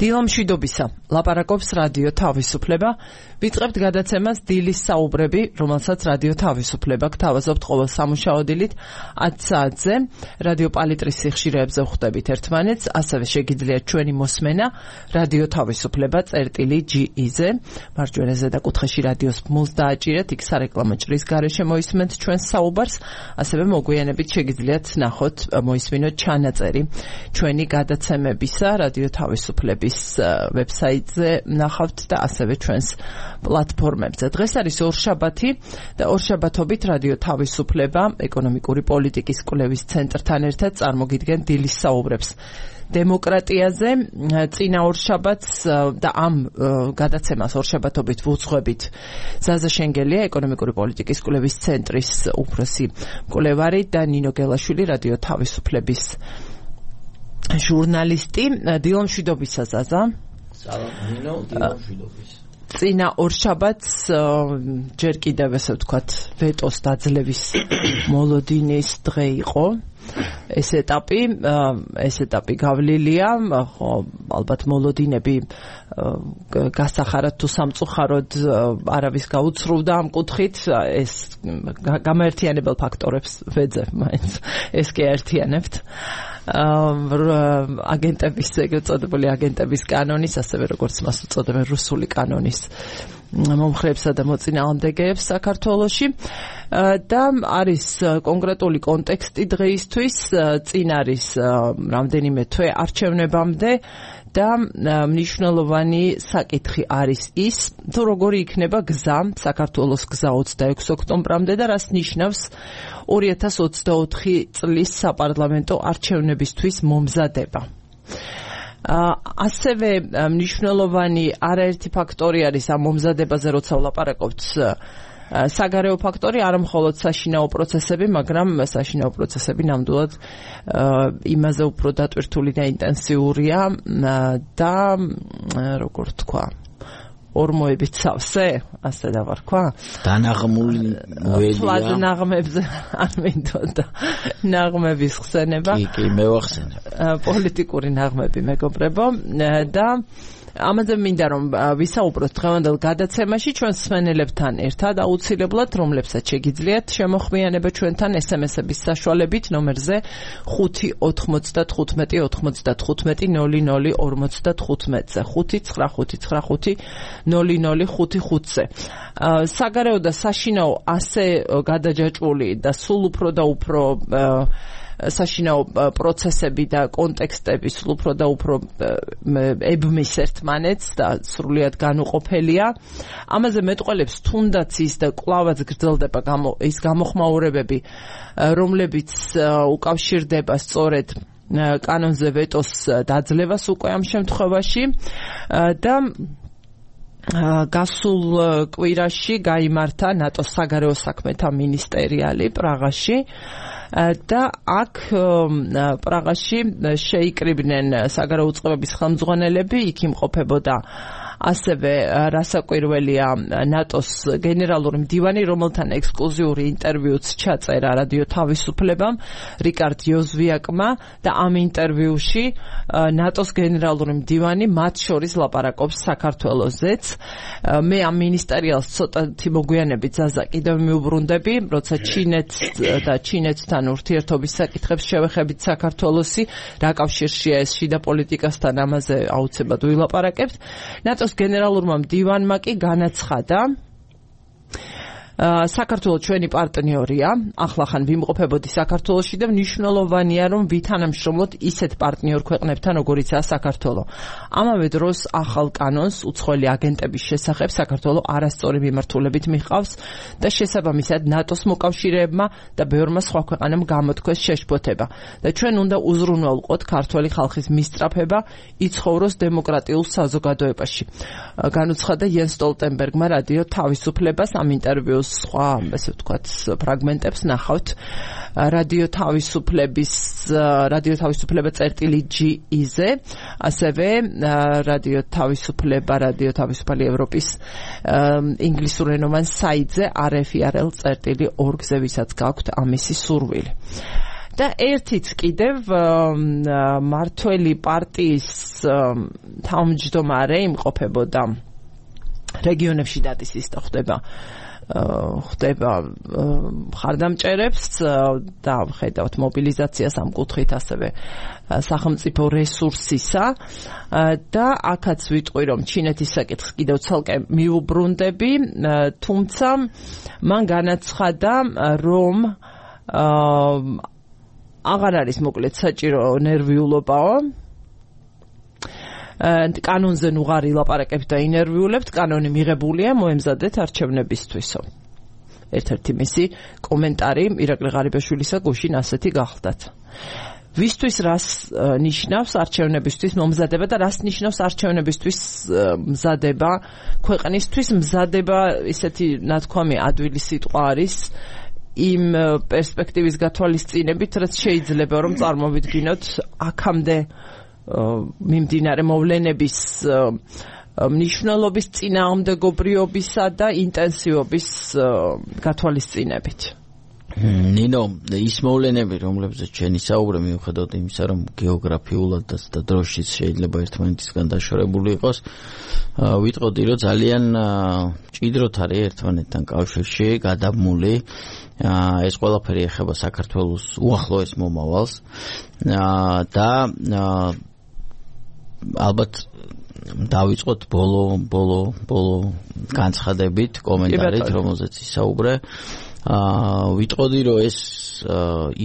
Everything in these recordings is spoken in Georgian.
დილამშვიდობისა, ლაპარაკობს რადიო თავისუფლება. ვიწყებთ გადაცემას დილის საუბრები, რომელსაც რადიო თავისუფლება გთავაზობთ ყოველ სამუშაო დილით 10 საათზე. რადიო პალიტრის სიხშირეებზე ვხვდებით ერთმანეთს, ასევე შეგიძლიათ ჩვენი მოსმენა რადიო თავისუფლება წერტილი.ge-ზე. მარჯვენა ზედაკუთხეში რადიოს ბმულს დააჭირეთ, იქ სარეკლამო ჭრის გარეშე მოისმენთ ჩვენს საუბარს, ასევე მოგვიანებით შეგიძლიათ ნახოთ, მოისმინოთ ჩანაწერი ჩვენი გადაცემებისა რადიო თავისუფლების ვებსაიტზე ნახავთ და ასევე ჩვენს პლატფორმებზე. დღეს არის ორშაბათი და ორშაბათობით რადიო თავისუფლება ეკონომიკური პოლიტიკის კვლევის ცენტრთან ერთად წარმოგიდგენ დილის საუბრებს დემოკრატიაზე. წინა ორშაბათს და ამ გადაცემას ორშაბათობით ვუძღვებით ზაზა შენგელია, ეკონომიკური პოლიტიკის კვლევის ცენტრის უფროსი მკვლევარი და ნინო გელაშვილი, რადიო თავისუფლების ჟურნალისტი. დილამშვიდობისა ზაზა. სალამ ნინო, დილამშვიდობის. წინა ორშაბათს ჯერ კიდევ ესე ვთქვათ ვეტოს დაძლევის მოლოდინის დღე იყო. ეს ეტაპი გავლილია, ხო, ალბათ მოლოდინები გასახარად თუ სამწუხაროდ არავის გაუცრუვდა ამ კუთხით, ეს გამაერთიანებელ ფაქტორებს ვეძებ მაინც, ეს კი აერთიანებთ. აგენტების, ეგრეთ წოდებული აგენტების კანონის, ასევე როგორც მას უწოდებენ რუსული კანონის მომხრეებსა და მოწინააღმდეგეებს საქართველოში. და არის კონკრეტული კონტექსტი დღეისთვის, წინ არის რამდენიმე თვე არჩევნებამდე და მნიშვნელოვანი საკითხი არის ის, თუ როგორი იქნება გზა, საქართველოს გზა 26 ოქტომბრამდე და რას ნიშნავს 2024 წლის საპარლამენტო არჩევნებისთვის მომზადება. ასევე მნიშვნელოვანი არაერთი ფაქტორი არის ამ მომზადებაზე, როცა ვლაპარაკობთ, საგარეო ფაქტორი, არა მხოლოდ საშინაო პროცესები, მაგრამ საშინაო პროცესები ნამდვილად იმაზე უფრო დატვირთული და ინტენსიურია და როგორ თქვა, ორმოებით სავსე, ასე დავარქვა. დანაღმული ველია. ნაღმებზე არ მინდოდა ნაღმების ხსენება. კი, მევახსენებ. პოლიტიკური ნაღმები, მეგობრებო, და ამაზე მინდა რომ ვისაუბროთ დღევანდელ გადაცემაში ჩვენ მსმენელებთან ერთად აუცილებლად, რომლებსაც შეგიძლიათ შემოხვმიანება ჩვენთან SMS-ების საშუალებით ნომერზე 5-95-95-00-55-00-55-ზე 5-955-00-55-ზე. საგარეო და საშინაო ასე გადაჯაჭვული და სულ უფრო და უფრო საშინაო პროცესები და კონტექსტები სულ უფრო და უფრო ებმის ერთმანეთს და სრულიად განუყოფელია. ამაზე მეტყველებს თუნდაც ის და კვლავაც გრძელდება ის გამოხმაურებები, რომლებიც უკავშირდება სწორედ კანონზე ვეტოს დაძლევას უკვე ამ შემთხვევაში და გასულ კვირაში გაიმართა ნატოს საგარეო საქმეთა მინისტერიალი პრაღაში და აქ პრაღაში შეიკრიბნენ საგარეო უწყებების ხელმძღვანელები, იქ იმყოფებოდა ასევე რასაკვირველია ნატოს გენერალური მდივანი, რომელთან ექსკლუზიური ინტერვიუც ჩაწერა რადიო თავისუფლებამ, რიკარდ იოზვიაკმა და ამ ინტერვიუში ნატოს გენერალური მდივანი მათ შორის ლაპარაკობს საქართველოსაც. მე ამ მინისტერიალს ცოტათი მოგვიანებით ზაზა კიდევ მიუბრუნდები, როცა ჩინეთთან ურთიერთობის საკითხებს შევეხებით საქართველოსი, რა კავშირშია ეს შიდა პოლიტიკასთან, ამაზე აუცილებლად ვილაპარაკებთ. ნატოს გენერალურმა მდივანმა კი განაცხადა, საქართველოს ჩვენი პარტნიორია, ახლახან ვიმყოფებოდი საქართველოში და მნიშვნელოვანია რომ ვითანამშრომლოთ ისეთ პარტნიორ ქვეყნებთან, როგორიცაა საქართველო. ამავე დროს ახალ კანონს უცხოელი აგენტების შესახებ საქართველო არასწორი მიმართულებით მიჰყავს და შესაბამისად ნატოს მოკავშირეებმა და ბევრმა სხვა ქვეყანამ გამოთქვეს შეშფოთება და ჩვენ უნდა უზრუნველყოთ ქართველი ხალხის მისწრაფება იცხოვროს დემოკრატიულ საზოგადოებაში. განუცხადა იენს სტოლტენბერგმა რადიო თავისუფლებას. ამ ინტერვიუს სხვა, ესე ვთქვათ, ფრაგმენტებს ნახავთ რადიო თავისუფლება წერტილი.ge-ზე, ასევე რადიო თავისუფალი ევროპის ინგლისურენოვან საიტზე rfirl.org-ზე, ვისაც გაქვთ ამისი სურვილი. და ერთიც კიდევ მართველი პარტიის თავმჯდომარე იმყოფებოდა რეგიონებში დატისის და ხდება მხარდამჭერებს და ხედავთ მობილიზაციას ამ კუთხით ასევე სახელმწიფო რესურსისა და აქაც ვიტყვი რომ ჩინეთის საკითხს კიდევ ცალკე მიუბრუნდები თუმცა მან განაცხადა რომ აღარ არის მოკლედ საჭირო ნერვიულობაო კანონზე ნუღარი ლაპარაკებთ და ინერვიულებთ კანონი მიღებულია მოემზადეთ არჩევნებისთვისო ერთ-ერთი მისი კომენტარი ირაკლი ღარიბაშვილისა გუშინ ასეთი გახლდათ ვისთვის რას ნიშნავს არჩევნებისთვის მომზადება და რას ნიშნავს არჩევნებისთვის მზადება ქვეყნისთვის მზადება ისეთი ნათქვამი ადვილი სიტყვა არის იმ პერსპექტივის გათვალისწინებით რაც შეიძლება რომ წარმოვიდგინოთ აქამდე მიმდინარე მოვლენების მნიშვნელობის წინააღმდეგობრიობისა და ინტენსივობის გათვალისწინებით. ნინო, ის მოვლენები, რომლებზეც ჩვენი საუბრე მიუხედავად იმისა, რომ გეოგრაფიულად და დროშიც შეიძლება ერთმანეთისგან დაშორებული იყოს, ვიტყოდი, რომ ძალიან მჭიდროდ არის ერთმანეთთან კავშირში გადაბმული. ეს ყველაფერი ეხება საქართველოს უახლოეს მომავალს და ალბათ დავიწყოთ ბოლო განცხადებით, კომენტარით, რომელზეც ისაუბრე. ვიტყოდი, რომ ეს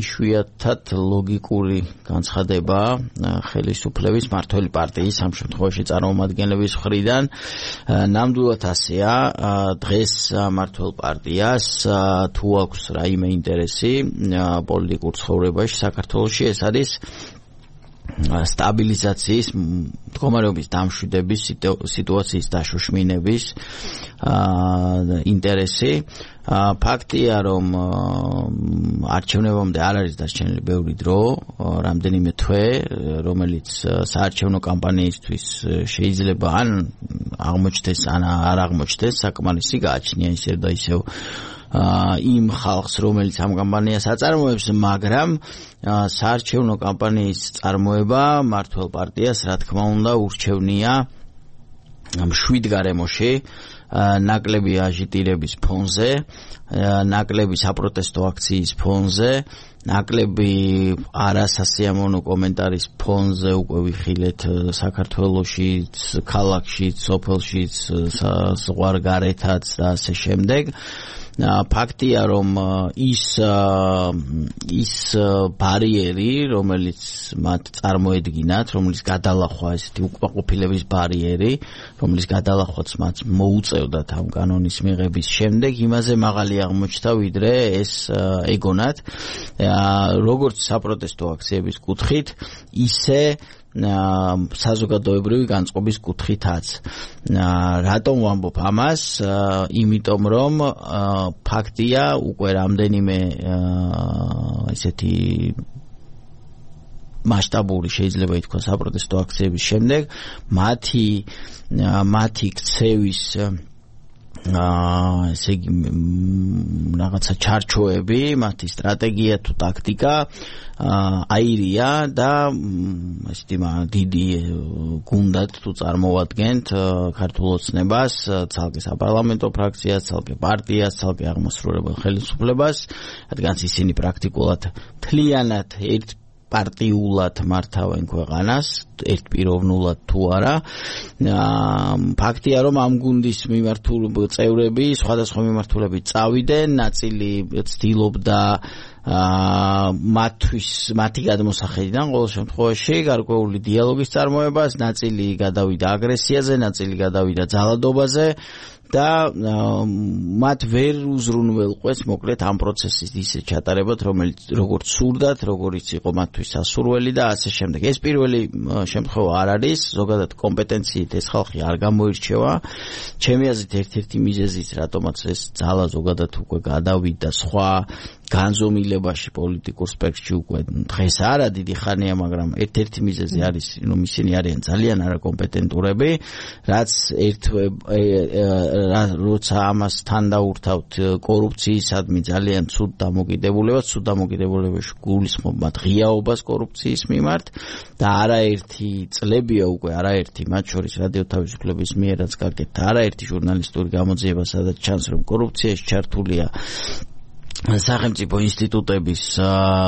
იშვიათად ლოგიკური განცხადებაა ხელისუფლების მართველი პარტიის ამ შემთხვევაში წარმომადგენლების მხრიდან. ნამდვილად ასეა, დღეს მართველ პარტიას თუ აქვს რაიმე ინტერესი პოლიტიკურ ცხოვრებაში საქართველოში, ეს არის სტაბილიზაციის მდგომარეობის დამშვიდების სიტუაციის დაშოშმინების ინტერესი. ფაქტია, რომ არჩევნებამდე არ არის დარჩენილი ბევრი დრო, რამდენიმე თვე, რომელიც საარჩევნო კამპანიისთვის შეიძლება ან აღმოჩნდეს, ან არ აღმოჩნდეს, საკმარისი გააჩნია ისევ და ისევ იმ ხალხს, რომელიც ამ კამპანიას აწარმოებს, მაგრამ საარჩევნო კამპანიის წარმოება მართლ პარტიას, რა თქმა უნდა, ურჩევნია მშვიდ გარემოში, ნაკლები აჟიტირების ფონზე, ნაკლები საპროტესტო აქციის ფონზე, ნაკლები არასასიამოვნო კომენტარის ფონზე უკვე ვიხილეთ საქართველოშიც, ქალაქშიც, სოფელშიც, ზღვარგარეთაც და ასე შემდეგ. ფაქტია, რომ ის ბარიერი, რომელიც მათ წარმოედგინათ, რომელიც გადალახვა ესეთი უკმაყოფილების ბარიერი, რომელიც გადალახვაც მათ მოუწევდათ ამ კანონის მიღების შემდეგ, იმაზე მაღალი აღმოჩნდა, ვიდრე ეს ეგონათ. როგორც საპროტესტო აქციების კუთხით, ისე საზოგადოებრივი განწყობის კუთხითაც. რატომ ვამბობ ამას? იმიტომ რომ ფაქტია, უკვე რამდენიმე ესეთი მასშტაბური შეიძლება ითქვას საპროტესტო აქციების შემდეგ მათი ქცევის ესე იგი რაღაცა ჩარჩოები, მათი სტრატეგია თუ ტაქტიკა აირია და ესეთი დიდი გუნდად თუ წარმოვადგენთ ქართულ ოცნებას, ცალკე საპარლამენტო ფრაქციას, ცალკე პარტიას, ცალკე აღმასრულებელ ხელისუფლებას, რადგან ისინი პრაქტიკულად მთლიანად პარტიულად მართავენ ქვეყანას, ერთპიროვნულად თუ არა. ფაქტია, რომ ამ გუნდის წევრები, სხვადასხვა მიმართულებით წავიდნენ, ნაწილი ცდილობდა მათი გადმოსახედიდან ყოველ შემთხვევაში გარკვეული დიალოგის წარმოებას, ნაწილი გადავიდა აგრესიაზე, ნაწილი გადავიდა ძალადობაზე და მათ ვერ უზრუნველყვეს მოკლედ ამ პროცესის ისე ჩატარებად, რომელიც როგორც სურდათ, როგორიც იყო მათთვის სასურველი და ასე შემდეგ. ეს პირველი შემთხვევა არ არის, ზოგადად კომპეტენციით ეს ხალხი არ გამოირჩევა. ჩემი აზრით ერთ-ერთი მიზეზიც, რატომაც ეს ძალა ზოგადად უკვე გადავიდა სხვა განზომილებაში პოლიტიკურ სპექტრში უკვე დღეს არა დიდი ხანია, მაგრამ ერთ-ერთი მიზეზი არის, რომ ისინი არიან ძალიან არაკომპეტენტურები, რაც როცა ამას თან დაურთავთ კორუფციისადმი ძალიან ცუდ დამოკიდებულებაში გულისხმობ მათ ღიაობას კორუფციის მიმართ და არაერთი წლებია უკვე მათ შორის რადიო თავისუფლების მიერაც გაკეთდა არაერთი ჟურნალისტური გამოძიება, სადაც ჩანს რომ კორუფციაში ჩართულია სახელმწიფო ინსტიტუტების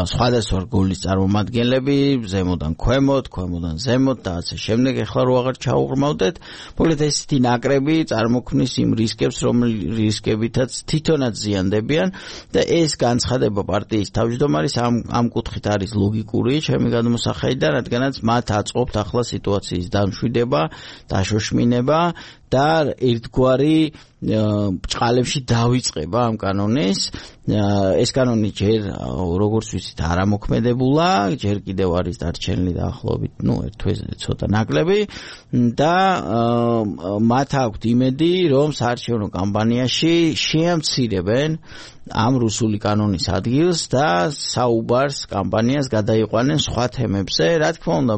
სხვადასხვა რგოლის წარმომადგენლები, ზემოდან ქვემოთ, ქვემოდან ზემოთ და ასე შემდეგ. ეხლა რო აღარ ჩაუღრმავდეთ, მოკლედ ესეთი ნაკრები წარმოქმნის იმ რისკებს, რისკებითაც თვითონაც ზიანდებიან და ეს განცხადება პარტიის თავმჯდომარის ამ კუთხით არის ლოგიკური, ჩემი გადმოსახედიდან, რადგანაც მათ აწყობთ ახლა სიტუაციის დამშვიდება, დაშოშმინება და ერთგვარი ბჭყალებში დავიწყება ამ კანონის. ეს კანონი ჯერ როგორც ვიცით არ ამოქმედებულა, ჯერ კიდევ არის დარჩენილი დაახლოებით ერთ თვეზე ცოტა ნაკლები და მათ აქვთ იმედი, რომ საარჩევნო კამპანიაში შეამცირებენ ამ რუსული კანონის ადგილს და საუბარს კამპანიას გადაიყვანენ სხვა თემებზე. რა თქმა უნდა,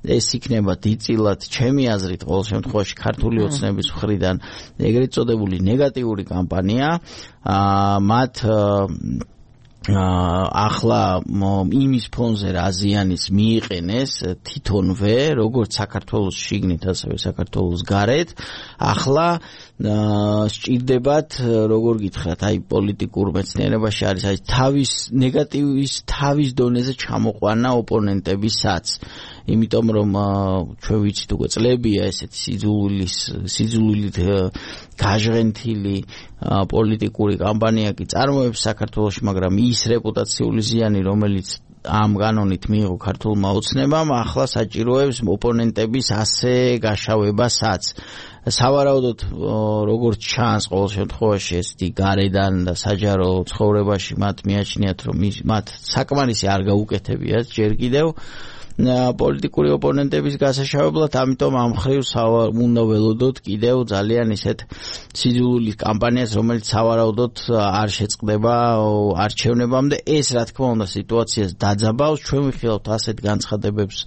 ეს იქნება დიდწილად ჩემი აზრით ყოველ შემთხვევაში ქართული ოცნების მხრიდან ეგრეთ წოდებული ნეგატიური კამპანია. მათ ახლა იმის ფონზე რა ზიანის მიიყენეს თვითონვე, როგორც საქართველოს შიგნით, ასევე საქართველოს გარეთ. ახლა სჭირდებათ, როგორ გითხრათ, პოლიტიკურ მეცნიერებაში არის თავის ნეგატივის თავის დონეზე ჩამოყვანა ოპონენტებისაც. იმიტომ რომ ჩვენ ვიცით უკვე წლებია ესეთი სიძულვილით გაჟღენთილი პოლიტიკური კამპანია კი წარმოებს საქართველოში, მაგრამ ის რეპუტაციული ზიანი, რომელიც ამ კანონით მიიღო ქართულმა ოცნებამ, ახლა საჭიროებს ოპონენტების ასე გაშავებასაც. სავარაუდოდ როგორც ჩანს ყოველ შემთხვევაში ესეთი გარედან და საჯარო ცხოვრებაში მათ მიაჩნიათ, რომ მათ საკმარისი არ გაუკეთებიათ ჯერ კიდევ პოლიტიკური ოპონენტების გასაშავებლად, ამიტომ ამ მხრივ უნდა ველოდოთ კიდევ ძალიან ისეთ სიძულვილის კამპანიას, რომელიც სავარაუდოდ არ შეწყდება არჩევნებამდე. ეს რა თქმა უნდა სიტუაციას დაძაბავს. ჩვენ ვიხილავთ ასეთ განცხადებებს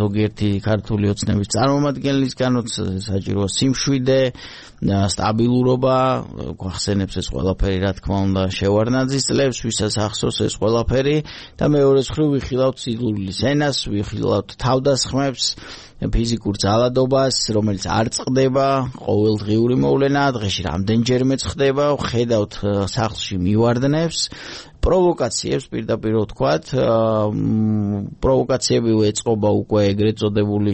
ზოგიერთი ქართული ოცნების წარმომადგენლისგანაც, საჭიროა სიმშვიდე, სტაბილურობა, გვახსენებს ეს ყველაფერი, რა თქმა უნდა, შევარდნაძის წლებს, ვისაც ახსოვს ეს ყველაფერი და მეორეს მხრივ ვიხილავთ სიძულვილის ენას, ვიხილავთ თავდასხმებს, ფიზიკურ ძალადობას, რომელიც არ წყდება, ყოველდღიური მოვლენა, დღეში რამდენჯერმეც ხდება, ხედავთ სახლში მივარდნებს, პროვოკაციებს პირდაპირ ვთქვათ, პროვოკაციები ეწყობა უკვე ეგრეთ წოდებული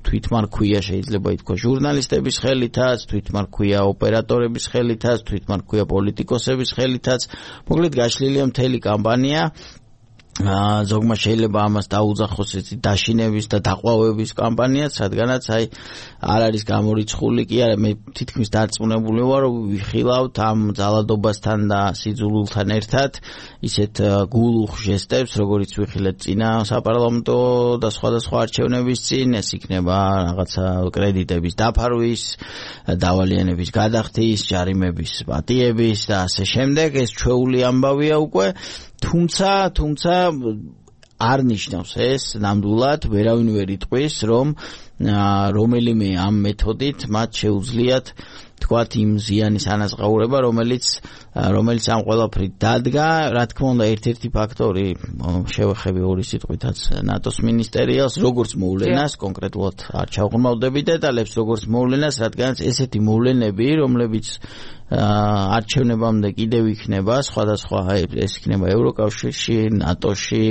თვითმარქვია, შეიძლება ითქვა ჟურნალისტების ხელითაც, თვითმარქვია ოპერატორების ხელითაც, თვითმარქვია პოლიტიკოსების ხელითაც. მოკლედ გაშლილია მთელი კამპანია. ზოგმა შეიძლება ამას დაუძახოს დაშინების და დაყვავების კამპანიაც, რადგანაც არ არის გამორიცხული კი არა, მე თითქმის დარწმუნებული ვარ, რომ ვიხილავთ ამ ძალადობასთან და სიძულვილთან ერთად ისეთ გულუხ ჟესტებს, როგორიც ვიხილეთ წინა საპარლამენტო და სხვადასხვა არჩევნების წინ, ეს იქნება რაღაცა კრედიტების დაფარვის, დავალიანების გადახდის, ჯარიმების პატიების და ასე შემდეგ. ეს ჩვეული ამბავია უკვე. თუმცა არ ნიშნავს ეს ნამდვილად, ვერავინ ვერ იტყვის, რომ რომელიმე ამ მეთოდით მათ შეუძლიათ თქვათ იმ ზიანის ანაზღაურება, რომელიც ამ ყველაფრით დადგა. რა თქმა უნდა, ერთ-ერთი ფაქტორი შევეხები ორი სიტყვითაც ნატოს მინისტერიალს, როგორც მოვლენას, კონკრეტულად არ ჩავღრმავდები დეტალებს, როგორც მოვლენას, რადგანაც ესეთი მოვლენები, რომლებიც არჩევნებამდე კიდევ იქნება სხვადასხვა, ეს იქნება ევროკავშირში, ნატოში,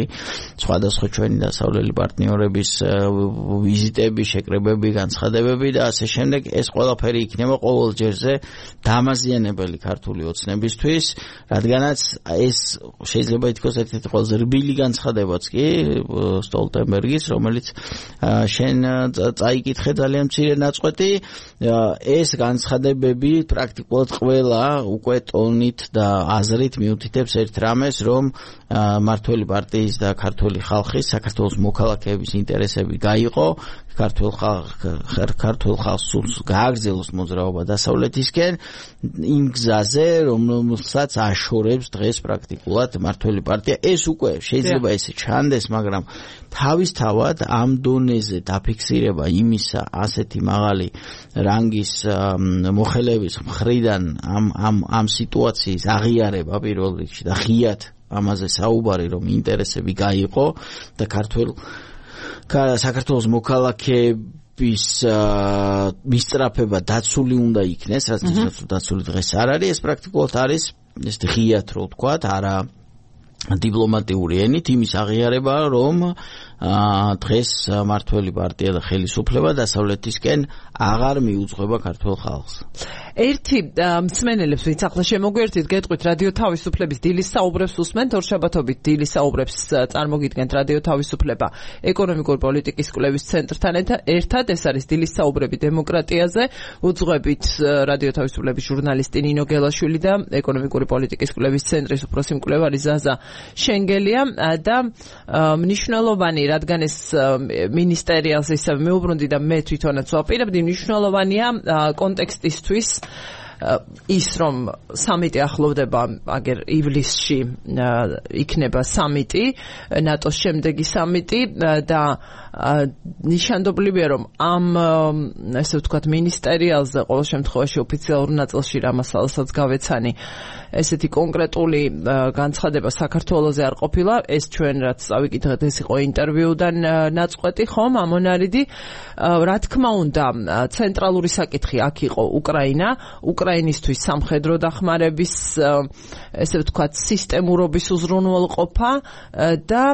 სხვადასხვა ჩვენი დასავლელი პარტნიორების ვიზიტები, შეკრებები, განცხადებები და ასე შემდეგ. ეს ყველაფერი იქნება ყოველ ჯერზე დამაზიანებელი ქართული ოცნებისთვის, რადგანაც ეს შეიძლება ითქვას ერთ-ერთი ყველაზე რბილი განცხადებაც კი სტოლტენბერგის, რომელიც შენ წაიკითხე ძალიან მცირე ნაწყვეტი. ეს განცხადებები პრაქტიკულად ყველა უკვე ტონით და აზრით მიუთითებს ერთ რამეს, რომ მმართველი პარტიის და ქართული ხალხის, საქართველოს მოქალაქეების ინტერესები გაიყო, ქართულ ხალხს გააგრძელოს მოძრაობა დასავლეთ დასავლეთისკენ იმ გზაზე, რომელსაც აშორებს დღეს პრაქტიკულად მმართველი პარტია. ეს უკვე შეიძლება ესე ჩანდეს, მაგრამ თავისთავად ამ დონეზე დაფიქსირება იმისა ასეთი მაღალი რანგის მოხელეების მხრიდან ამ სიტუაციის აღიარება პირველ რიგში და ღიად ამაზე საუბარი, რომ ინტერესები გაიყო და საქართველოს მოქალაქეების მისწრაფება დაცული უნდა იქნეს, რაც დაცული დღეს არ არის, ეს პრაქტიკულად არის ეს ღიად რო ვთქვათ, არა დიპლომატიური ენით იმის აღიარება, რომ დღეს მმართველი პარტია და ხელისუფლება დასავლეთისკენ აღარ მიუძღვება ქართულ ხალხს. ერთი მსმენელებს, ვინც ახლა შემოგვერთით, გეტყვით რადიო თავისუფლების დილის საუბრებს უსმენთ, ორშაბათობით დილის საუბრებს წარმოგიდგენთ რადიო თავისუფლება ეკონომიკური პოლიტიკის კვლევის ცენტრთან ერთად. ეს არის დილის საუბრები დემოკრატიაზე. უძღვებით რადიო თავისუფლების ჟურნალისტი ნინო გელაშვილი და ეკონომიკური პოლიტიკის კვლევის ცენტრის უფროსი მკვლევარი ზაზა შენგელია და მნიშვნელოვანი, რადგან ეს მინისტერიალს ისევ მეუბრუნდი და მე თვითონაც ვაპირებდი, მნიშვნელოვანია კონტექსტისთვის ის, რომ სამიტი ახლოვდება, აგერ ივლისში იქნება სამიტი, ნატოს შემდეგი სამიტი და ნიშანდობლივია, რომ ამ ესე ვთქვათ მინისტერიალზე ყოველ შემთხვევაში ოფიციალურ ნაწილში რამასალასაც გავეცანი ესეთი კონკრეტული განცხადება საქართველოზე არ ყოფილა. ეს ჩვენ რაც წავიკითხეთ, ეს იყო ინტერვიუდან ნაწყვეტი, ხომ, ამონარიდი. რა თქმა უნდა, ცენტრალური საკითხი აქ იყო უკრაინისთვის სამხედრო დახმარების, ესე ვთქვათ, სისტემურობის უზრუნველყოფა და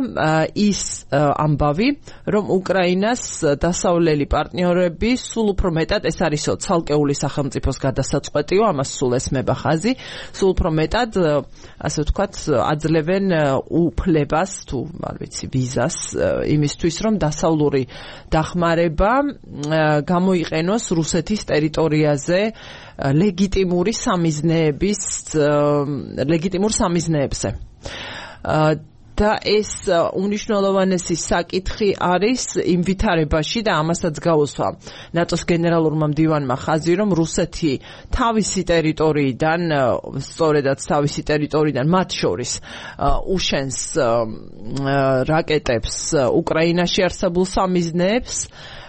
ის ამბავი, რომ უკრაინას დასავლელი პარტნიორები სულ უფრო მეტად, ეს არისო ცალკეული სახელმწიფოს გადასაწყვეტიო, ამას სულ ესმება ხაზი, სულ უფრო მეტად, ასე ვთქვათ, აძლევენ უფლებას თუ არ ვიცი ვიზას იმისთვის, რომ დასავლური დახმარება გამოიყენოს რუსეთის ტერიტორიაზე ლეგიტიმურ სამიზნეებზე. და ეს უნიშნელოვანესი საკითხი არის იმ ვითარებაში და ამასაც გაუსვა ნატოს გენერალურმა მდივანმა ხაზი, რომ რუსეთი თავისი ტერიტორიიდან, სწორედაც თავისი ტერიტორიიდან მათ შორის უშენს რაკეტებს უკრაინაში არსებულ სამიზნეებს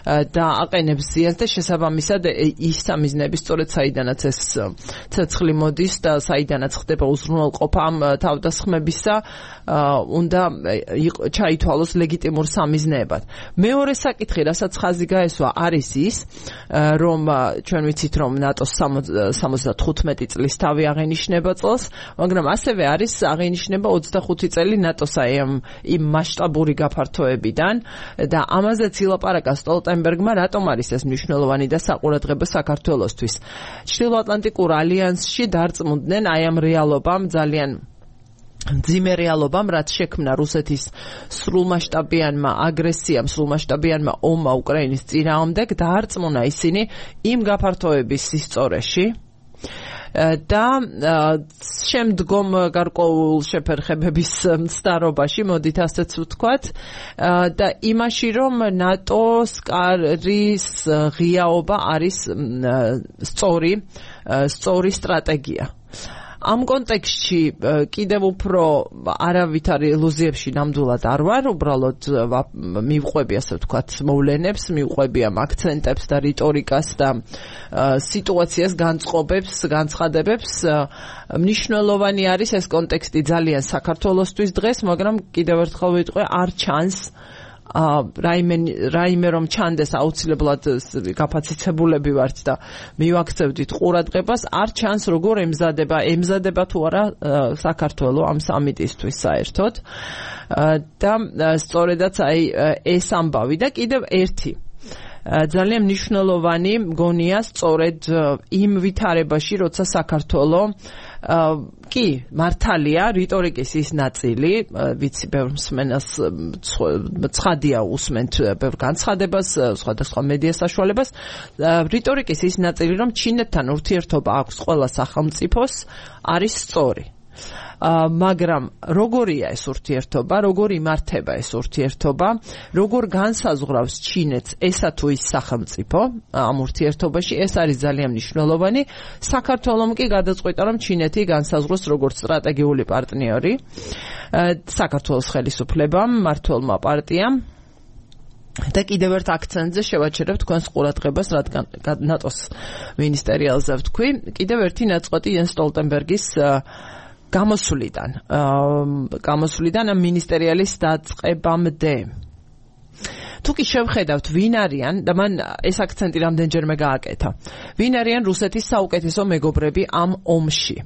და აყენებს ზიანს და შესაბამისად ის სამიზნეები სწორედ საიდანაც ეს ცეცხლი მოდის და საიდანაც ხდება უზრუნველყოფა ამ თავდასხმებისა, უნდა ჩაითვალოს ლეგიტიმურ სამიზნეებად. მეორე საკითხი, რასაც ხაზი გაესვა, არის ის, რომ ჩვენ ვიცით, რომ ნატოს 75 წლის თავი აღენიშნება წელს, მაგრამ ასევე არის აღენიშნება 25 წელი ნატოს იმ მასშტაბური გაფართოებიდან და ამაზეც ილაპარაკა სტოლტენბერგმა, რატომ არის ეს მნიშვნელოვანი და საყურადღებო საქართველოსთვის. ჩრდილოატლანტიკურ ალიანსში დარწმუნდნენ აი ამ რეალობამ, ძალიან მძიმე რეალობამ, რაც შექმნა რუსეთის სრულმასშტაბიანმა აგრესიამ, სრულმასშტაბიანმა ომმა უკრაინის წინააღმდეგ, დაარწმუნა ისინი იმ გაფართოების ისწორეში და შემდგომ გარკვეულ შეფერხებების მცდარობაში, მოდით ასეც ვთქვათ, და იმაში, რომ ნატოს კარის ღიაობა არის სწორი სტრატეგია. ამ კონტექსტში კიდევ უფრო არავითარ ილუზიებში ნამდვილად არ ვარ, უბრალოდ მივყვები, ასე ვთქვათ, მოვლენებს, მივყვები ამ აქცენტებს და რიტორიკას და სიტუაციას განწყობებს, განცხადებებს. მნიშვნელოვანი არის ეს კონტექსტი ძალიან საქართველოსთვის დღეს, მაგრამ კიდევ ერთხელ ვიტყვი, არ ჩანს რაიმე რომ ჩანდეს აუცილებლად გაფაციცებულები ვართ და მივაქცევდით ყურადღებას, არ ჩანს როგორ ემზადება თუ არა საქართველო ამ სამიტისთვის საერთოდ და სწორედაც აი ეს ამბავი და კიდევ ერთი ძალიან მნიშვნელოვანი მგონია სწორედ იმ ვითარებაში, როცა საქართველო კი მართალია რიტორიკის ის ნაწილი, ვიცი ბევრ მსმენელს ცხადია უსმენთ ბევრ განცხადებას, სხვადასხვა მედია საშუალებას, რიტორიკის ის ნაწილი, რომ ჩინეთთან ურთიერთობა აქვს ყველა სახელმწიფოს, არის სწორი. მაგრამ როგორია ეს ურთიერთობა, როგორ იმართება ეს ურთიერთობა, როგორ განსაზღვრავს ჩინეთს ესა თუ ის სახელმწიფო ამ ურთიერთობაში, ეს არის ძალიან მნიშვნელოვანი. საქართველომ კი გადაწყვიტა, რომ ჩინეთი განსაზღვროს როგორც სტრატეგიული პარტნიორი საქართველოს ხელისუფლებამ, მმართველმა პარტიამ. და კიდევ ერთ აქცენტზე შევაჩერებ თქვენს ყურადღებას, რადგან ნატოს მინისტერიალზე ვთქვი, კიდევ ერთი ნაწყვეტი იენს სტოლტენბერგის გამოსვლიდან ამ მინისტერიალის დაწყებამდე. თუ კი შევხედავთ ვინ არიან და მან ეს აქცენტი რამდენჯერმე გააკეთა. ვინ არიან რუსეთის საუკეთესო მეგობრები ამ ომში?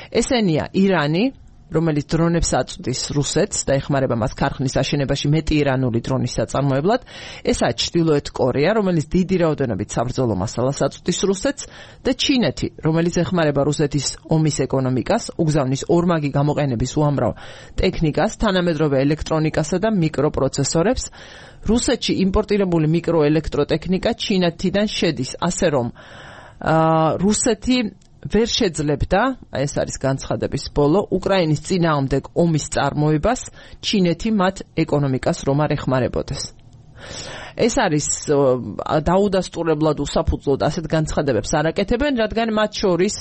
ესენია ირანი, რომელიც დრონებს აწვდის რუსეთს და ეხმარება მას ქარხნის აშენებაში მეტი ირანული დრონის საწარმოებლად. ესაა ჩრდილოეთ კორეა, რომელიც დიდი რაოდენობით საბრძოლო მასალას აწვდის რუსეთს და ჩინეთი, რომელიც ეხმარება რუსეთის ომის ეკონომიკას, უგზავნის ორმაგი გამოყენების უამრავ ტექნიკას, თანამედროვე ელექტრონიკასა და მიკროპროცესორებს. რუსეთში იმპორტირებული მიკროელექტროტექნიკა ჩინეთიდან შედის, ასე რომ რუსეთი ვერ შეძლებდა, ეს არის განცხადების ბოლო, უკრაინის წინააღმდეგ ომის წარმოებას, ჩინეთი მათ ეკონომიკას რომ არ ეხმარებოდეს. ეს არის დაუდასტურებლად უსაფუძვლოდ ასეთ განცხადებებს არ აკეთებენ, რადგან მათ შორის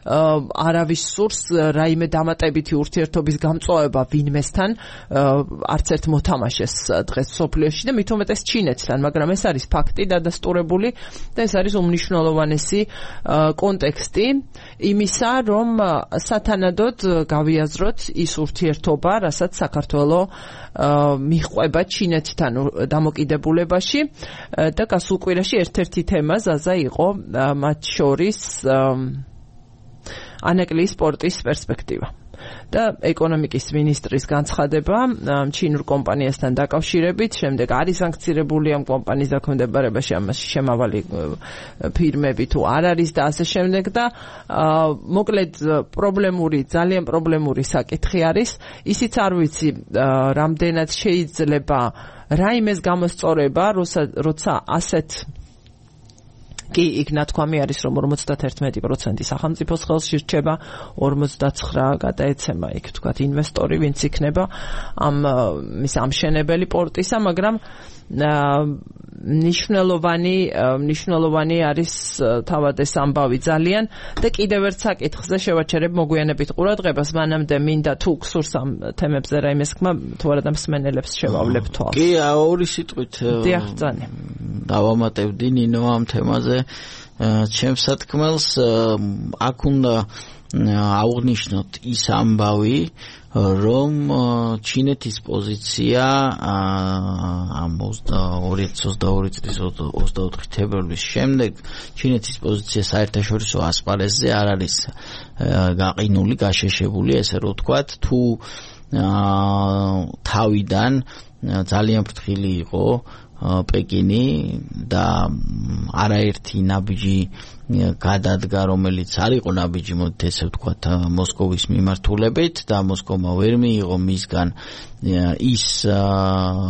არავის სურს რაიმე დამატებითი ურთიერთობის გამწვავება ვინმესთან არც ერთ მოთამაშეს დღეს სოფლიოში და მით უმეტეს ჩინეთთან, მაგრამ ეს არის ფაქტი დადასტურებული და ეს არის უმნიშვნელოვანესი კონტექსტი იმისა, რომ სათანადოდ გავიაზროთ ის ურთიერთობა, რასაც საქართველო მიჰყვება ჩინეთთან დამოკიდებულებაში და გასულ კვირაში ერთ-ერთი თემა ზაზა იყო მათ შორის ანაკლიის პორტის პერსპექტივა და ეკონომიკის მინისტრის განცხადება ჩინურ კომპანიასთან დაკავშირებით, შემდეგ არის სანქცირებული ამ კომპანიის დაქვემდებარებაში ამაში შემავალი ფირმები თუ არ არის და ასე შემდეგ და მოკლედ ძალიან პრობლემური საკითხი არის. ისიც არ ვიცი რამდენად შეიძლება რაიმეს გამოსწორება, როცა ასეთ კი იქ ნათქვამი არის, რომ 51% სახელმწიფოს ხელში რჩება, 49 გადაეცემა იქ თქვათ ინვესტორი, ვინც იქნება ამ ამშენებელი პორტისა, მაგრამ მნიშვნელოვანი არის თავად ეს ამბავი ძალიან და კიდევ ერთ საკითხზე შევაჩერებ მოგვიანებით ყურადღებას, მანამდე მინდა თუ გსურს ამ თემებზე რაიმე სკმა, თუ არა და მსმენელებს შევავლებ თვალს. კი, ორი სიტყვით დავამატებდი ნინო ამ თემაზე ჩემს სათქმელს. აქ უნდა აღვნიშნოთ ის ამბავი, რომ ჩინეთის პოზიცია ამ 2022 წლის 24 თებერვლის შემდეგ ჩინეთის პოზიცია საერთაშორისო ასპარეზზე არ არის გაყინული, გაშეშებული, ესე რომ ვთქვათ, თუ თავიდან ძალიან ფრთხილი იყო პეკინი და არაერთი ნაბიჯი გადადგა, რომელიც არ იყო ნაბიჯი, მოდით ესე ვთქვათ, მოსკოვის მიმართულებით და მოსკოვმა ვერ მიიღო მისგან ის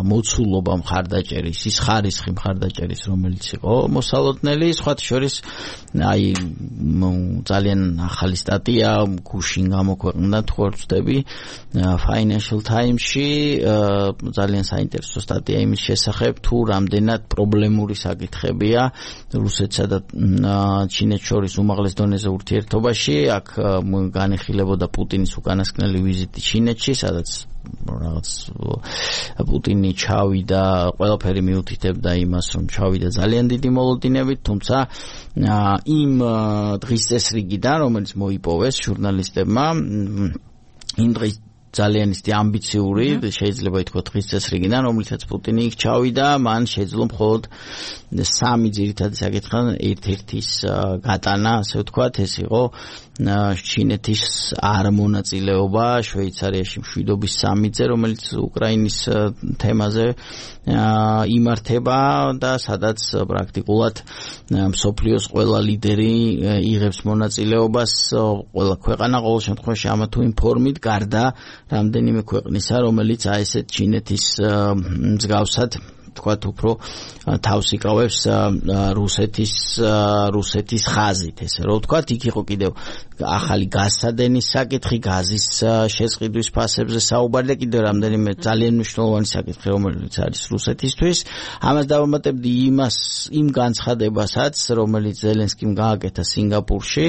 მოცულობა მხარდაჭერის, ის ხარისხი მხარდაჭერის, რომელიც იყო მოსალოდნელი. სხვათა შორის აი ძალიან ახალი სტატია გუშინ გამოქვეყნდა, თუ არ ვცდები, Financial Times-ში ძალიან საინტერესო სტატია იმის შესახებ, თუ რამდენად პრობლემური საკითხებია რუსეთსა და ჩინეთს შორის უმაღლეს დონეზე ურთიერთობაში. აქ განიხილებოდა პუტინის უკანასკნელი ვიზიტი ჩინეთში, სადაც რაღაც პუტინი ჩავიდა, ყველაფერი მიუთითებდა იმას, რომ ჩავიდა ძალიან დიდი მოლოდინებით, თუმცა იმ დღის წესრიგიდან, რომელიც მოიპოვეს ჟურნალისტებმა, იმ დღის ძალიან ისეთი ამბიციური, შეიძლება ითქვათ დღის წესრიგიდან, რომლითაც პუტინი იქ ჩავიდა, მან შეძლო მხოლოდ 3 ძირითადი საკითხიდან ერთ-ერთის გატანა, ასე ვთქვათ, ეს იყო ჩინეთის არ მონაწილეობა შვეიცარიაში მშვიდობის სამიტზე, რომელიც უკრაინის თემაზე იმართება და სადაც პრაქტიკულად მსოფლიოს ყველა ლიდერი იღებს მონაწილეობას, ყველა ქვეყანა ყოველ შემთხვევაში ამა თუ იმ ფორმით, გარდა რამდენიმე ქვეყნისა, რომელიც აი ესეთ ჩინეთის მსგავსად თქვათ უფრო თავს იკავებს რუსეთის ხაზით, ესე რომ ვთქვათ, იქ იყო კიდევ ახალი გაზსადენის საკითხი, გაზის შესყიდვის ფასებზე საუბარი და კიდევ რამდენიმე ძალიან მნიშვნელოვანი საკითხი, რომელიც არის რუსეთისთვის. ამას დავამატებდი იმ განცხადებასაც, რომელიც ზელენსკიმ გააკეთა სინგაპურში,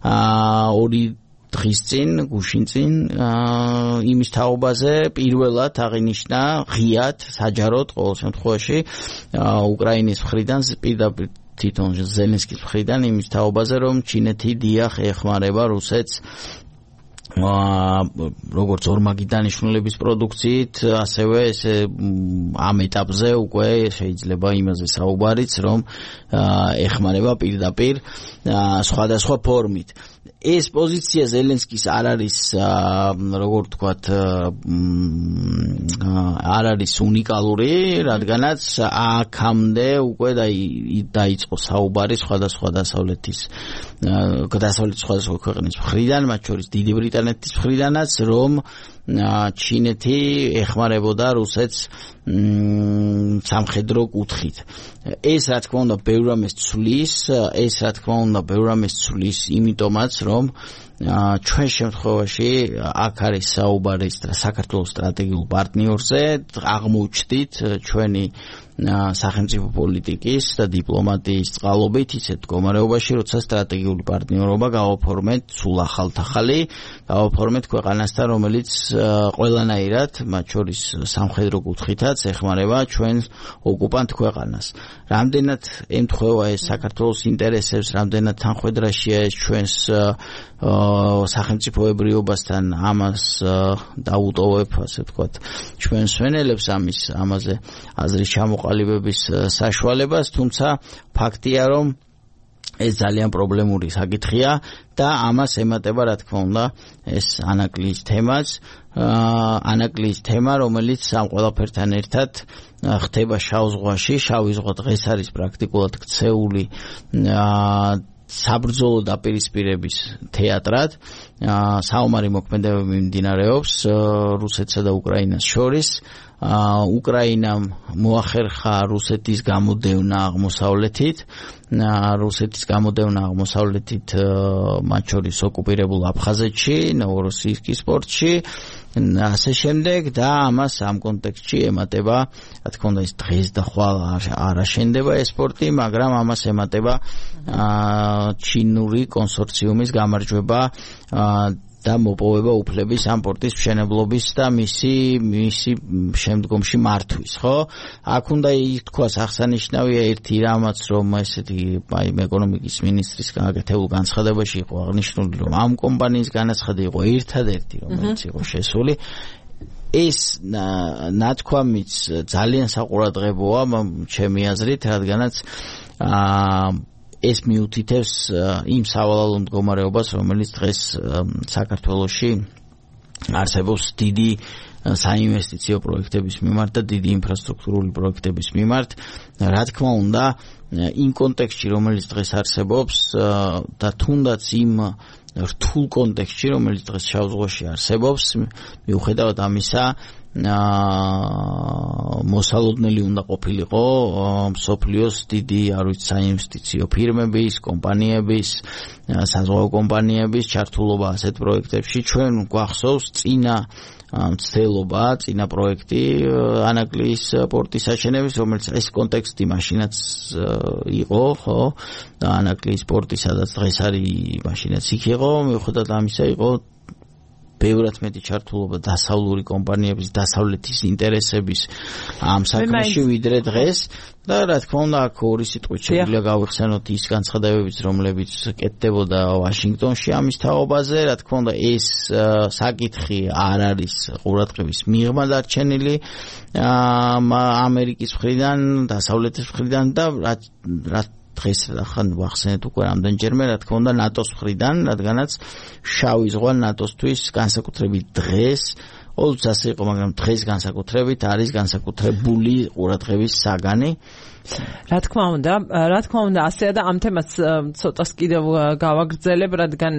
2 დღის წინ, გუშინ წინ, იმის თაობაზე პირველად აღინიშნა ღიად, საჯაროდ ყოველ შემთხვევაში უკრაინის მხრიდან პირდაპირ თვითონ ზელენსკის მხრიდან იმის თაობაზე, რომ ჩინეთი დიახ ეხმარება რუსეთს როგორც ორმაგი დანიშნულების პროდუქციით, ასევე ესე ამ ეტაპზე უკვე შეიძლება იმაზე საუბარიც, რომ ეხმარება პირდაპირ სხვადასხვა ფორმით. ეს პოზიცია ზელენსკის არ არის, როგორ ვთქვათ, არ არის უნიკალური, რადგანაც აქამდე უკვე დაიწყო საუბარი სხვადასხვა დასავლეთის სხვადასხვა ქვეყნის მხრიდან, მათ შორის დიდი ბრიტანეთის მხრიდანაც, რომ ჩინეთი ეხმარებოდა რუსეთს სამხედრო კუთხით. ეს რა თქმა უნდა ბევრ რამეს ცვლის, იმიტომაც რომ ჩვენ შემთხვევაში აქ არის საუბარი საქართველოს სტრატეგიულ პარტნიორზე, აღმოჩნდით ჩვენი სახელმწიფო პოლიტიკის და დიპლომატიის წყალობით ისეთ მდგომარეობაში, როცა სტრატეგიული პარტნიორობა გავაფორმეთ სულ ახალ-ახალი, გავაფორმეთ ქვეყანასთან, რომელიც ყველანაირად, მათ შორის სამხედრო კუთხითაც ეხმარება ჩვენ ოკუპანტ ქვეყანას. რამდენად ემთხვევა ეს საქართველოს ინტერესებს, რამდენად თანხვედრაშია ეს ჩვენს სახელმწიფოებრიობასთან, ამას დაუტოვებ, ასე ვთქვათ, ჩვენ სვენელებს ამაზე აზრის ჩამოყალიბების საშუალებას, თუმცა ფაქტია, რომ ეს ძალიან პრობლემური საკითხია და ამას ემატება, რა თქმა უნდა, ეს ანაკლიის თემაც, ანაკლიის თემა, რომელიც ამ ყველაფერთან ერთად ხდება შავ ზღვაში. შავი ზღვა დღეს არის პრაქტიკულად ქცეული საბრძოლო დაპირისპირების თეატრად. საომარი მოქმედებები მიმდინარეობს რუსეთსა და უკრაინას შორის. უკრაინამ მოახერხა რუსეთის გამოდევნა აღმოსავლეთით, მათ შორის ოკუპირებულ აფხაზეთში, ნოვოროსიისკის პორტში, ასე შემდეგ და ამას ამ კონტექსტში ემატება, რა თქმა უნდა, ეს დღეს და ხვალ არ აშენდება ეს პორტი, მაგრამ ამას ემატება ჩინური კონსორციუმის გამარჯვება და მოპოვება უფლების ამ პორტის მშენებლობის და მისი შემდგომში მართვის, ხო? აქ უნდა ითქვას აღსანიშნავია ერთი რამაც, რომ ესეთი ეკონომიკის მინისტრის გაკეთებულ განცხადებაში იყო აღნიშნული, რომ ამ კომპანიის განაცხადი იყო ერთადერთი, რომელიც იყო შესული. ეს ნათქვამიც ძალიან საყურადღებოა ჩემი აზრით, რადგანაც ეს მიუთითებს იმ სავალალო მდგომარეობას, რომელიც დღეს საქართველოში არსებობს დიდი საინვესტიციო პროექტების მიმართ და დიდი ინფრასტრუქტურული პროექტების მიმართ. რა თქმა უნდა, იმ კონტექსტში, რომელიც დღეს არსებობს და თუნდაც იმ რთულ კონტექსტში, რომელიც დღეს შავ ზღვაში არსებობს, მიუხედავად ამისა, მოსალოდნელი უნდა ყოფილიყო მსოფლიოს დიდი საინვესტიციო ფირმების, კომპანიების, საზღვაო კომპანიების ჩართულობა ასეთ პროექტებში. ჩვენ გვახსოვს წინა პროექტი ანაკლიის პორტის აშენების, რომელიც ეს კონტექსტი მაშინაც იყო, ხო? ანაკლიის პორტი, სადაც დღეს არის, მაშინაც იქ იყო, მიუხედავად ამისა იყო ბევრად მეტი ჩართულობა დასავლური კომპანიების, დასავლეთის ინტერესების ამ საქმეში ვიდრე დღეს და რა თქმა უნდა აქ ორი სიტყვით შეგვიძლია გავიხსენოთ ის განცხადებებიც, რომლებიც კეთდებოდა ვაშინგტონში ამის თაობაზე. რა თქმა უნდა ეს საკითხი არ არის ყურადღების მიღმა დარჩენილი ამერიკის მხრიდან, დასავლეთის მხრიდან და რაც დღეს ახან ვახსენეთ უკვე რამდენჯერმე, რა თქმა უნდა ნატოს მხრიდან, რადგანაც შავი ზღვა ნატოსთვის განსაკუთრებით დღეს, ყოველთვის ასე იყო, მაგრამ დღეს განსაკუთრებით არის განსაკუთრებული ყურადღების საგანი. რა თქმა უნდა, ასეა და ამ თემას ცოტას კიდევ გავაგრძელებ, რადგან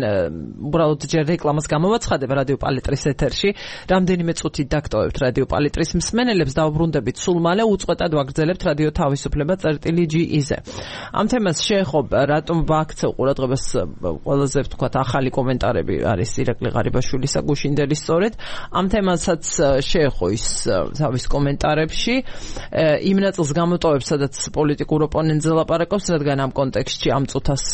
უბრალოდ ჯერ რეკლამას გამოვაცხადებ რადიო პალიტრის ეთერში. რამდენიმე წუთით დაგტოვებთ რადიო პალიტრის მსმენელებს, დავბრუნდებით სულ მალე, უწყვეტად ვაგრძელებთ რადიო თავისუფლება წერტილი.ge-ზე. ამ თემას შეეხო, რატომ ვაქცევ ყურადღებას ყველაზე ვთქვათ ახალი კომენტარები არის ირაკლი ღარიბაშვილისა გუშინდელის სწორედ. ამ თემასაც შეეხო ის თავის კომენტარებში იმ ნაწილს გამოტოვებს, სადაც პოლიტიკურ ოპონენტზე ლაპარაკობს, რადგან ამ კონტექსტში ამ წუთას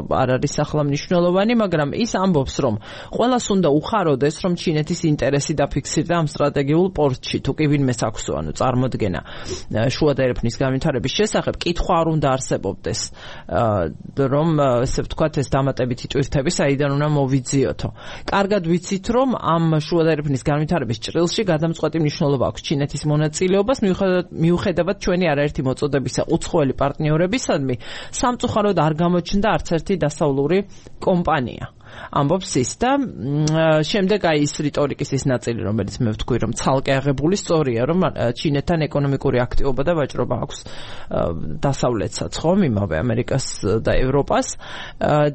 არ არის ახლა მნიშვნელოვანი, მაგრამ ის ამბობს, რომ ყველას უნდა უხაროდეს, რომ ჩინეთის ინტერესი დაფიქსირდა ამ სტრატეგიულ პორტში, თუ კი ვინმეს აქვსო, წარმოდგენა შუა და ერეფნის განვითარების შესახებ, კითხვა არ უნდა არსებობდეს, რომ ესე ვთქვათ ეს დამატებითი ტვირთები საიდან უნდა მოვიძიოთო. კარგად ვიცით, რომ ამ შუა და ერეფნის განვითარების ჭრილში გადამწყვეტი მნიშვნელობა აქვს ჩინეთის მონაწილეობას, მიუხედავად ჩვენი არაერთი მოწოდებისა უცხოელი პარტნიორებისადმი, სამწუხაროდ არ გამოჩნდა არც ერთი დასავლური კომპანია. ამბობს ის და შემდეგ ის რიტორიკის ის ნაწილი, რომელიც მე ვთქვი, რომ ცალკე აღებული სწორია, რომ ჩინეთთან ეკონომიკური აქტივობა და ვაჭრობა აქვს დასავლეთსაც, ხომ, იმავე ამერიკას და ევროპას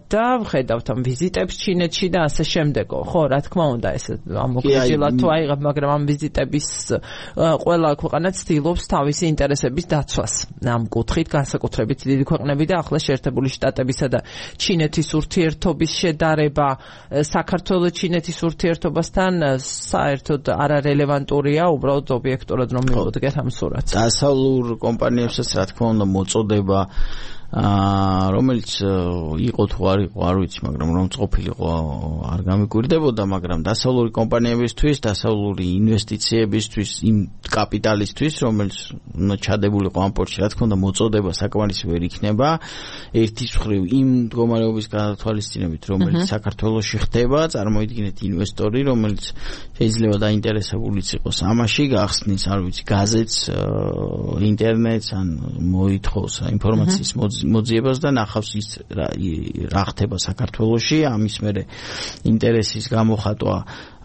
და ვხედავთ ამ ვიზიტებს ჩინეთში და ასე შემდეგო. ხო, რა თქმა უნდა, ეს ამოგვიძილათ თუ აიღებ, მაგრამ ამ ვიზიტების ყველა ქვეყანა ცდილობს თავისი ინტერესების დაცვას. ამ კუთხით განსაკუთრებით დიდი ქვეყნები და ახლა შეერთებული შტატებისა და ჩინეთის ურთიერთობის შედარება საქართველოს ჩინეთის ურთიერთობასთან საერთოდ არარელევანტურია, უბრალოდ ობიექტურად რომ მივუდგეთ ამ სურათს. დასავლურ კომპანიებსაც რა თქმა უნდა მოწოდება რომელიც იყო თუ არ იყო, არ ვიცი, მაგრამ რომ ყოფილიყო არ გამიკვირდებოდა, მაგრამ დასავლური კომპანიებისთვის, დასავლური ინვესტიციებისთვის, იმ კაპიტალისთვის, რომელიც ჩადებულიყო ამ პორტში, რა თქმა უნდა მოწოდება საკმარისი ვერ იქნება. ერთის მხრივ იმ მდგომარეობის გადათვალისწინებით, რომელიც საქართველოში ხდება, წარმოიდგინეთ ინვესტორი, რომელიც შეიძლება დაინტერესებულიც იყოს ამაში, გახსნის, არ ვიცი, გაზეთს, ინტერნეტს, ან მოითხოვს ინფორმაციის მოძიებას და ნახავს ის რა ხდება საქართველოში, ამის მერე ინტერესის გამოხატვა,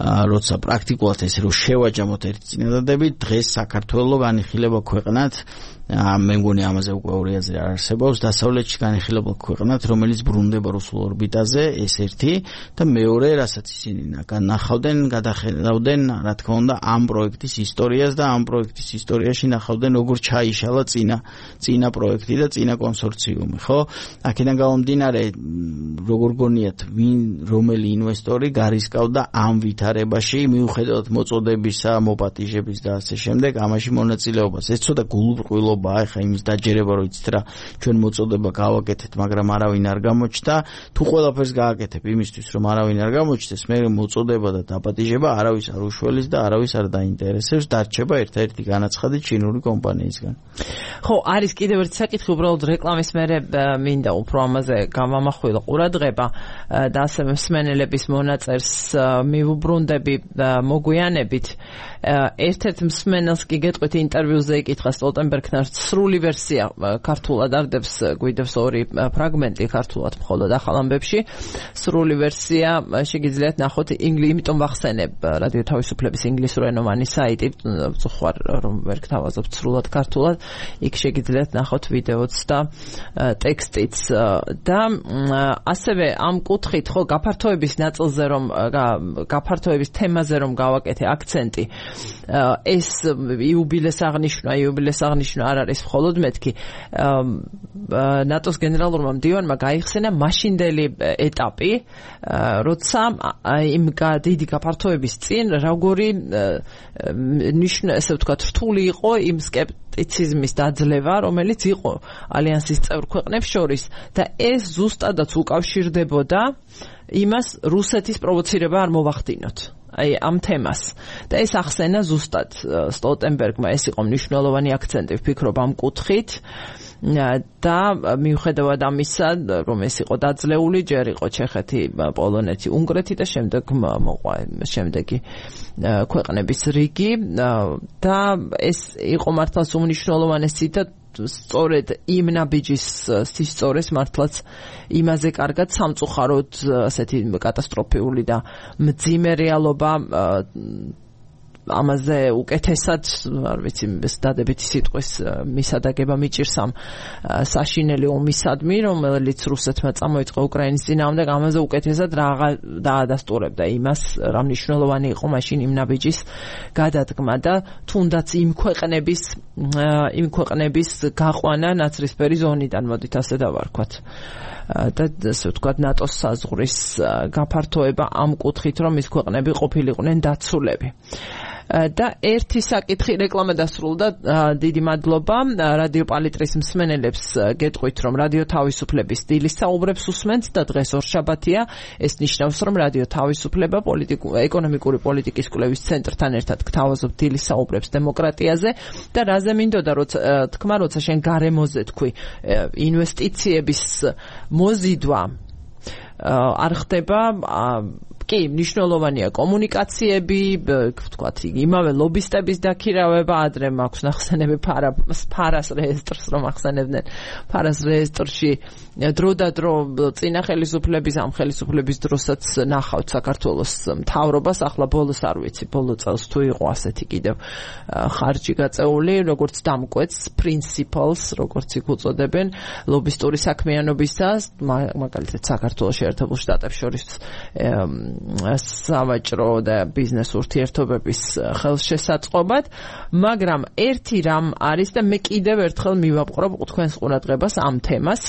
როცა პრაქტიკულად ეს რომ შევაჯამოთ ერთი წინადადები, დღეს საქართველო განიხილება ქვეყნად, მე მგონი ამაზე უკვე ორი აზრი არ არსებობს, დასავლეთში განიხილება ქვეყნად, რომელიც ბრუნდება რუსულ ორბიტაზე, ეს ერთი და მეორე, რასაც ისინი ნახავდნენ, გადახედავდნენ, რა თქმა უნდა, ამ პროექტის ისტორიას და ამ პროექტის ისტორიაში ნახავდნენ, როგორ ჩაიშალა წინა პროექტი და წინა კონსორციუმი, ხო? აქედან გამომდინარე, როგორ გონიათ, რომელი ინვესტორი გარისკავდა ამ ვითარებაში, მიუხედავად მოწოდებისა, მოპატიჟების და ასე შემდეგ, ამაში მონაწილეობას. ეს ცოტა გულუბრყვილობაა, ახლა იმის დაჯერება, რომ იცით რა, ჩვენ მოწოდება გავაკეთეთ, მაგრამ არავინ არ გამოჩნდა. თუ ყველაფერს გააკეთებ იმისთვის, რომ არავინ არ გამოჩნდეს, მე მოწოდება და დაპატიჟება არავის არ უშველის და არავის არ დაინტერესებს, დარჩება ერთ-ერთი განაცხადი ჩინური კომპანიისგან. ხო, არის კიდევ ერთი საკითხი, უბრალოდ რეკლამის მერე მინდა უფრო ამაზე გამამახვილო ყურადღება და ასევე მსმენელების მონაწერს მივუბრუნდები მოგვიანებით. ერთ-ერთ მსმენელს კი გეტყვით ინტერვიუზე იკითხა სტოლტენბერგთან სრული ვერსია ქართულად არდებს, გვიდევს ორი ფრაგმენტი ქართულად მხოლოდ ახალ ამბებში. სრული ვერსია შეგიძლიათ ნახოთ, იმიტომ ვახსენებ რადიო თავისუფლების ინგლისურენოვანი საიტი, ვწუხარ რომ ვერ გთავაზობ სრულად ქართულად, იქ შეგიძლიათ ნახოთ ვიდეოც და ტექსტიც და ასევე ამ კუთხით, ხო, გაფართოების ნაწილზე რომ გაფართოების თემაზე რომ გავაკეთე აქცენტი, ეს იუბილეს აღნიშვნა არ არის მხოლოდ მეთქი. ნატოს გენერალურმა მდივანმა გაიხსენა მაშინდელი ეტაპი, როცა იმ დიდი გაფართოების წინ როგორი ესე ვთქვათ რთული იყო იმ სკეპტიციზმის დაძლევა, რომელიც იყო ალიანსის წევრ ქვეყნებს შორის და ეს ზუსტადაც უკავშირდებოდა იმას რუსეთის პროვოცირება არ მოვახდინოთ. ამ თემას და ეს ახსენა ზუსტად სტოლტენბერგმა, ეს იყო მნიშვნელოვანი აქცენტი, ვფიქრობ ამ კუთხით და მიუხედავად ამისა, რომ ეს იყო დაძლეული, ჯერ იყო ჩეხეთი, პოლონეთი, უნგრეთი და შემდეგ მოყვა შემდეგი ქვეყნების რიგი და ეს იყო მართლაც უმნიშვნელოვანესი და სწორედ იმ ნაბიჯის სისწორეს მართლაც იმაზე კარგად სამწუხაროდ ასეთი კატასტროფიული და მძიმე რეალობა ამაზე უკეთესად არ ვიცი დადებითი სიტყვის მისადაგება მიჭირს ამ საშინელი ომისადმი, რომელიც რუსეთმა წამოიწყო უკრაინის წინააღმდეგ, ამაზე უკეთესად რა დაადასტურებდა იმას, რა მნიშვნელოვანი იყო მაშინ იმ ნაბიჯის გადადგმა და თუნდაც იმ ქვეყნების გაყვანა ნაცრისფერი ზონიდან, მოდით ასე დავარქვათ. და ასე ვთქვათ, ნატოს საზღვრის გაფართოება ამ კუთხით, რომ ის ქვეყნები ყოფილიყვნენ დაცულები. და ერთი საკითხი რეკლამა დასრულდა. დიდი მადლობა რადიო პალიტრის მსმენელებს. გეტყვით, რომ რადიო თავისუფლების დილის საუბრებს უსმენთ და დღეს ორშაბათია. ეს ნიშნავს, რომ რადიო თავისუფლება ეკონომიკური პოლიტიკის კვლევის ცენტრთან ერთად გთავაზობთ დილის საუბრებს დემოკრატიაზე და რაზე მინდოდა თქმა, როცა შენ გარემოზე თქვი ინვესტიციების მოზიდვა არ ხდება, კი, მნიშვნელოვანია კომუნიკაციები, ვთქვათ, იმავე ლობისტების დაქირავება, ადრე მაქვს ნახსენები ფარას რეესტრს რომ ახსენებდნენ. ფარას რეესტრში დრო წინა ხელისუფლების, ამ ხელისუფლების დროსაც ნახავთ საქართველოს მთავრობას, ახლა ბოლოს არ ვიცი, ბოლო წელს თუ იყო ასეთი კიდევ ხარჯი გაწეული, როგორც დამკვეთს, principles, როგორც იქ უწოდებენ, ლობისტური საქმიანობისას, მაგალითად საქართველოს შეერთებულ შტატებს შორის სავაჭრო და ბიზნეს ურთიერთობების ხელშესაწყობად, მაგრამ ერთი რამ არის და მე კიდევ ერთხელ მივაპყრობ თქვენს ყურადღებას ამ თემას,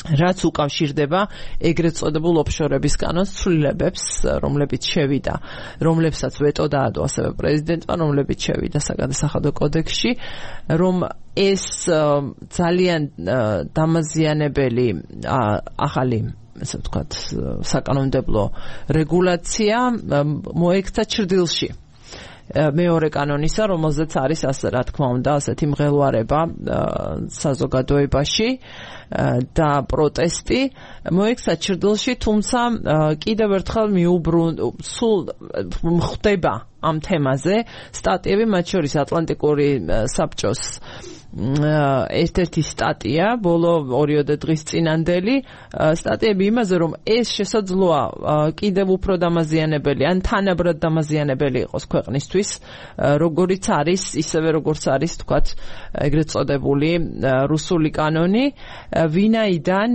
რაც უკავშირდება ეგრეთ წოდებულ ოფშორების კანონს ცვლილებებს, რომლებიც შევიდა, რომლებსაც ვეტო დაადო ასევე პრეზიდენტმა, რომლებიც შევიდა საგადასახადო კოდექსში, რომ ეს ძალიან დამაზიანებელი ახალი ასე ვთქვათ, საკანონმდებლო რეგულაცია მოექცა ჩრდილში. მეორე კანონისა, რომელზეც არის ასე რა თქმა უნდა, ასეთი მღელვარება საზოგადოებაში და პროტესტი მოექცა ჩრდილში, თუმცა კიდევ ერთხელ სულ ხდება ამ თემაზე სტატიები, მათ შორის ატლანტიკური საბჭოს ერთ-ერთი სტატია, ბოლო 2 დღის წინანდელი სტატიები იმაზე, რომ ეს შესაძლოა კიდევ უფრო დამაზიანებელი, ან თანაბრად დამაზიანებელი იყოს ქვეყნისთვის, როგორიც არის, ისევე როგორც არის, თქვათ, ეგრეთ წოდებული რუსული კანონი, ვინაიდან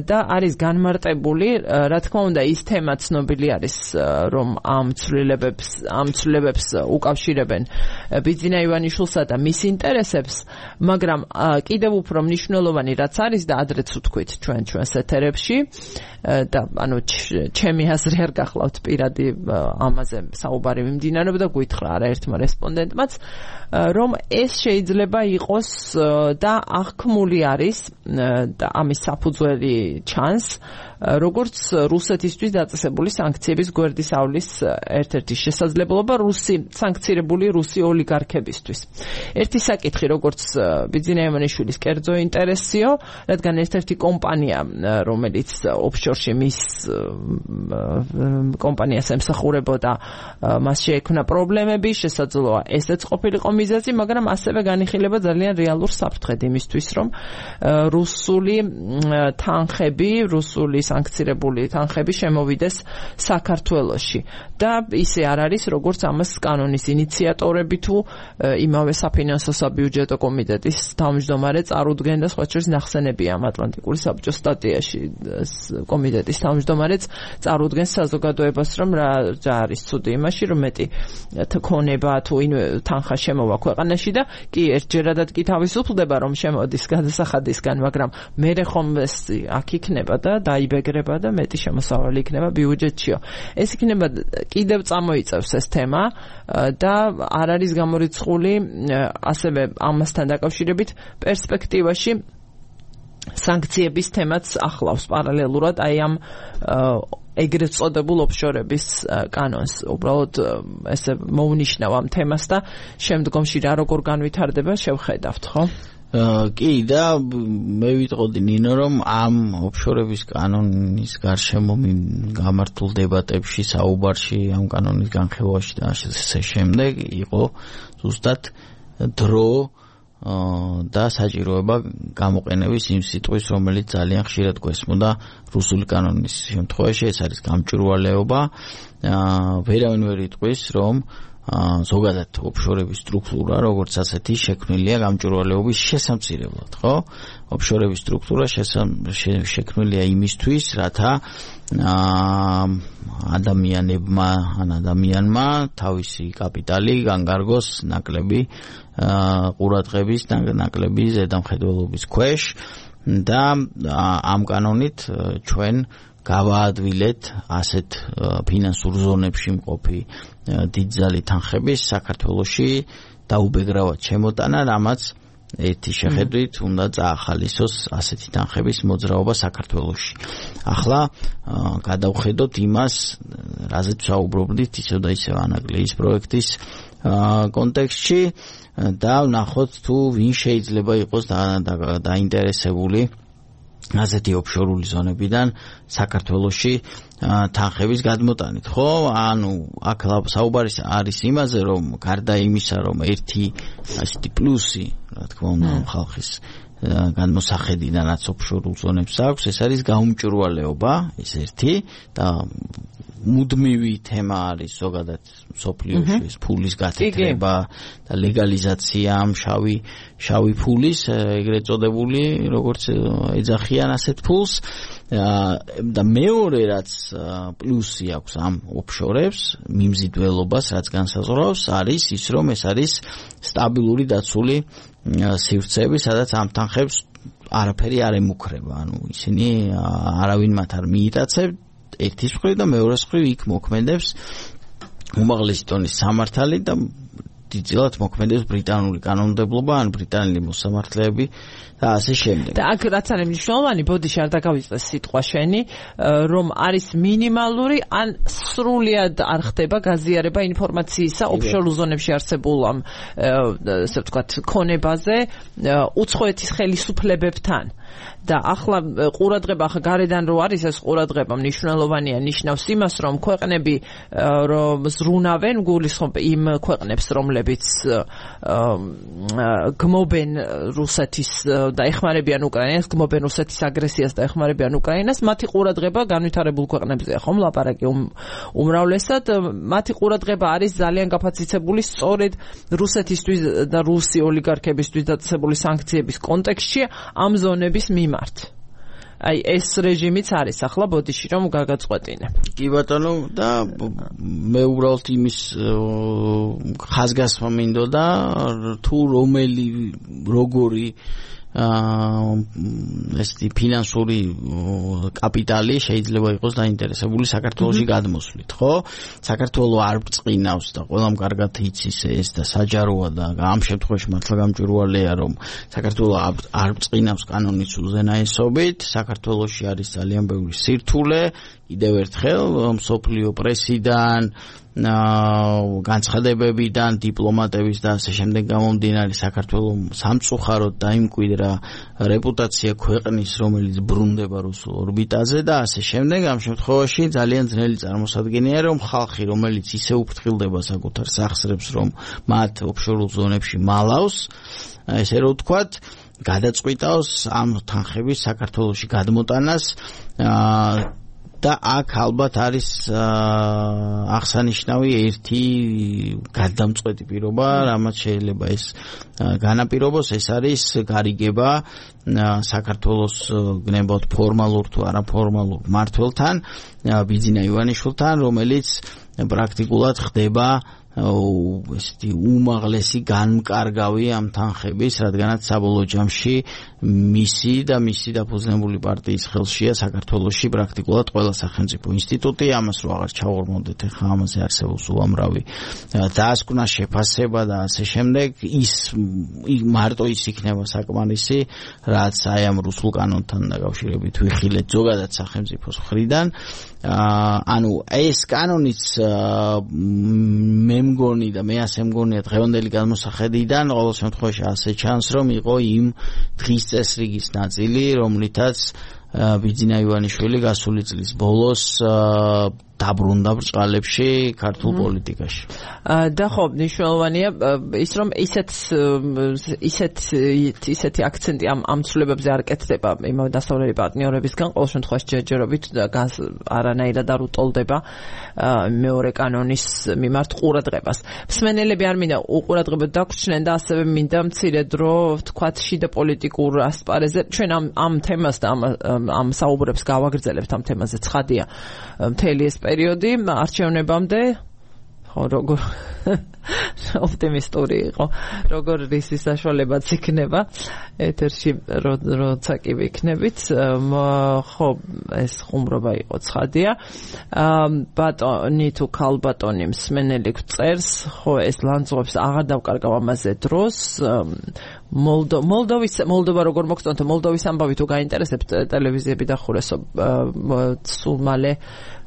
და არის განმარტებული, რა თქმა უნდა, ის თემა ცნობილი არის, რომ ამ ცვლილებებს უკავშირებენ ბიძინა ივანიშვილსა და მის ინტერესებს, მაგრამ კიდევ უფრო მნიშვნელოვანი რაც არის და ადრეც ვთქვით ჩვენს ეთერებში და ანუ ჩემი აზრი არ გახლავთ პირადი ამაზე საუბარი მიმდინარეობს და გვითხრა არაერთმა რესპონდენტმაც, რომ ეს შეიძლება იყოს და აღქმული არის და ამის საფუძველი ჩანს, როგორც რუსეთისთვის დაწესებული სანქციების გვერდის ავლის ერთ-ერთი შესაძლებლობა სანქცირებული რუსი ოლიგარქებისთვის. ერთი საკითხი, როგორც ბიძინა ივანიშვილის კერძო ინტერესიო, რადგან ერთ-ერთი კომპანია, რომელიც ოფშორში მის კომპანიას ემსახურებოდა, მას შეექმნა პრობლემები, შესაძლოა ესეც ყოფილიყო მიზეზი, მაგრამ ასევე განიხილება ძალიან რეალურ საფრთხედ იმისთვის, რომ რუსული თანხები, რუსული სანქცირებული თანხები შემოვიდეს საქართველოში. და ისე არ არის, როგორც ამას კანონის ინიციატორები თუ იმავე საფინანსო საბიუჯეტო კომიტეტის თავმჯდომარე წარუდგენდა, სხვა შორის ნახსენებია ამ ატლანტიკური საბჭოს სტატიაში კომიტეტის თავმჯდომარეც წარუდგენს საზოგადოებას, რომ რა არის ცუდი იმაში, რომ მეტი ქონება თუ თანხა შემოვა ქვეყანაში და კი ერთჯერადად კი თავისუფლდება, რომ შემოდის გადასახადისგან, მაგრამ მერე ხომ ეს აქ იქნება და დაიბეგრება და მეტი შემოსავალი იქნება ბიუჯეტშიო. ეს იქნება კიდევ წამოიწევს ეს თემა და არ არის გამორიცხული ასევე ამასთან დაკავშირებით პერსპექტივაში სანქციების თემაც ახლავს პარალელურად აი ამ ეგრეთ წოდებულ ოფშორების კანონს. უბრალოდ ესე მოვნიშნავ ამ თემას და შემდგომში რა როგორ განვითარდება შევხედავთ, ხო? კი და მე ვიტყოდი ნინო, რომ ამ ოფშორების კანონის გარშემო გამართულ დებატებში, საუბარში, ამ კანონის განხილვაში და ასე შემდეგ იყო ზუსტად დრო და საჭიროება გამოყენების იმ სიტყვის, რომელიც ძალიან ხშირად გვესმოდა რუსული კანონის შემთხვევაში, ეს არის გამჭვირვალეობა. ვერავინ ვერ იტყვის, რომ ზოგადად ოფშორების სტრუქტურა, როგორც ასეთი შექმნილია გამჭვირვალეობის შესამცირებლად, ხო? ოფშორების სტრუქტურა შექმნილია იმისთვის, რათა ადამიანმა თავისი კაპიტალი განგარგოს ნაკლები ყურადღების, ნაკლები ზედამხედველობის ქვეშ და ამ კანონით ჩვენ გავაადვილეთ ასეთ ფინანსურ ზონებში მყოფი დიდძალი თანხების საქართველოში დაუბეგრავად შემოტანა, რამაც ერთი შეხედვით უნდა წაახალისოს ასეთი თანხების მოძრაობა საქართველოში. ახლა გადავხედოთ იმას, რაზეც ვსაუბრობდით ისევ და ისევ ანაგლეის პროექტის კონტექსტში და ვნახოთ თუ ვინ შეიძლება იყოს დაინტერესებული ასეთი ოფშორული ზონებიდან საქართველოში თანხების გადმოტანით, ხო? ანუ აქ საუბარი არის იმაზე, რომ გარდა იმისა, რომ ერთი ასეთი პლუსი, რა თქმა უნდა, ხალხის განმოსახედიდანაც ოფშორულ ზონებს აქვს, ეს არის გაუმჭვირვალეობა, ეს ერთი და მუდმივი თემა არის ზოგადად სოფლიოში ეს ფულის გათეთრება და ლეგალიზაცია ამ შავი ფულის, ეგრეთ წოდებული, როგორც ეძახიან ასეთ ფულს და მეორე რაც პლუსი აქვს ამ ოფშორებს, მიმზიდველობას, რაც განსაზღვრავს, არის ის, რომ ეს არის სტაბილური დაცული სივრცეები, სადაც ამ თანხებს არაფერი არ ემუქრება, ანუ ისინი არავინ მათ არ მიიტაცებ ერთის მხრივ და მეორეს მხრივ იქ მოქმედებს უმაღლესი დონის სამართალი და დიდწილად მოქმედებს ბრიტანული კანონმდებლობა ან ბრიტანელი მოსამართლეები და ასე შემდეგ. და აქ რაც არის მნიშვნელოვანი, ბოდიში არ დაგავიწყდეს სიტყვა შენი, რომ არის მინიმალური ან სრულად არ ხდება გაზიარება ინფორმაციისა ოფშორულ ზონებში არსებულ ამ ასე ვთქვათ ქონებაზე უცხოეთის ხელისუფლებებთან. და ახლა ყურადღება ახლა გარედან რო არის ეს ყურადღება მნიშვნელოვანია, ნიშნავს იმას, რომ ქვეყნები რომ ზრუნავენ გულისხმობ იმ ქვეყნებს, რომლებიც გმობენ რუსეთის და ეხმარებიან უკრაინას, გმობენ რუსეთის აგრესიას და ეხმარებიან უკრაინას, მათი ყურადღება განვითარებულ ქვეყნებზეა, ხომ ლაპარაკი უმრავლესად, მათი ყურადღება არის ძალიან გაფაციცებული სწორედ რუსეთისთვის და რუსი ოლიგარქებისთვის დაწესებული სანქციების კონტექსტში ამ ზონების მიმართ. აი ეს რეჟიმიც არის ახლა ბოდიში რომ გაგაწყვეტინე. კი ბატონო და მე უბრალოდ იმის ხაზგასმა მინდოდა თუ როგორი ესეთი ფინანსური კაპიტალი შეიძლება იყოს დაინტერესებული საქართველოში გადმოსვლით, ხო? საქართველო არ ბწყინავს და ყველამ კარგად იცის ეს და საჯაროა და ამ შემთხვევაში მართლა გამჭვირვალეა, რომ საქართველო არ ბწყინავს კანონის უზენაესობით, საქართველოში არის ძალიან ბევრი სირთულე, კიდევ ერთხელ მსოფლიო პრესიდან განცხადებებიდან, დიპლომატების და ასე შემდეგ გამომდინარე საქართველოს სამწუხაროდ დაიმკვიდრა რეპუტაცია ქვეყნის, რომელიც ბრუნდება რუსულ ორბიტაზე და ასე შემდეგ. ამ შემთხვევაში ძალიან ძნელი წარმოსადგენია, რომ ხალხი, რომელიც ისე უფრთხილდება საკუთარ სახსრებს, რომ მათ ოფშორულ ზონებში მალავს, ესე რომ ვთქვათ, გადაწყვიტავს ამ თანხების საქართველოში გადმოტანას და აქ ალბათ არის აღსანიშნავი ერთი გადამწყვეტი პირობა, რამაც შეიძლება ეს განაპირობოს, ეს არის გარიგება საქართველოს გნებავთ ფორმალურ თუ არაფორმალურ მმართველთან, ბიძინა ივანიშვილთან, რომელიც პრაქტიკულად ხდება ესეთი უმაღლესი განმკარგავი ამ თანხების, რადგანაც საბოლოო ჯამში მისი და მისი დაფუძნებული პარტიის ხელშია საქართველოში პრაქტიკულად ყველა სახელმწიფო ინსტიტუტი, ამას რო აღარ ჩავორმოდეთ, ახლა ამაზე არსებობს უამრავი დაასკვნა, შეფასება და ასე შემდეგ, ის მარტო ის იქნება საკმარისი, რაც აი ამ რუსულ კანონთან დაკავშირებით ვიხილეთ ზოგადად სახელმწიფოს მხრიდან. ანუ ეს კანონიც მე მგონი და მე ასე მგონია დღევანდელი გადმოსახედიდან ყოველ შემთხვევაში ასე ჩანს, რომ იყო იმ დღის წესრიგის ნაწილი, რომლითაც ბიძინა ივანიშვილი გასული წლის ბოლოს დაბრუნდა ბრწყალებში ქართულ პოლიტიკაში. და ხო, მნიშვნელოვანია ის რომ ისეთი აქცენტი ამ ცვლილებებზე არ კეთდება იმავე დასავლელი პარტნიორებისგან, ყოველ შემთხვევაში ჯერჯერობით არანაირად არ უტოლდება მეორე კანონის მიმართ ყურადღებას. მსმენელები არ მინდა უყურადღებოდ დაგვრჩნენ და ასევე მინდა მცირე დრო ვთქვათ შიდა პოლიტიკურ ასპარეზზე ჩვენ ამ თემას და ამ საუბრებს გავაგრძელებთ ამ თემაზე ცხადია მთელი ეს პერიოდი არჩევნებამდე ხო როგორ ოპტიმისტური იყო როგორ რისი საშუალებაც იქნება ეთერში როცა კი ვიქნებით ხო ეს ხუმრობა იყო ცხადია ბატონი თუ ქალბატონი მსმენელი წერს ხო ეს ლანძღობს აღარ დავკარგავ ამაზე დროს მოლდოვა როგორ მოგწონთ მოლდოვის ამბავი თუ გაინტერესებთ ტელევიზიები დახურესო სულ მალე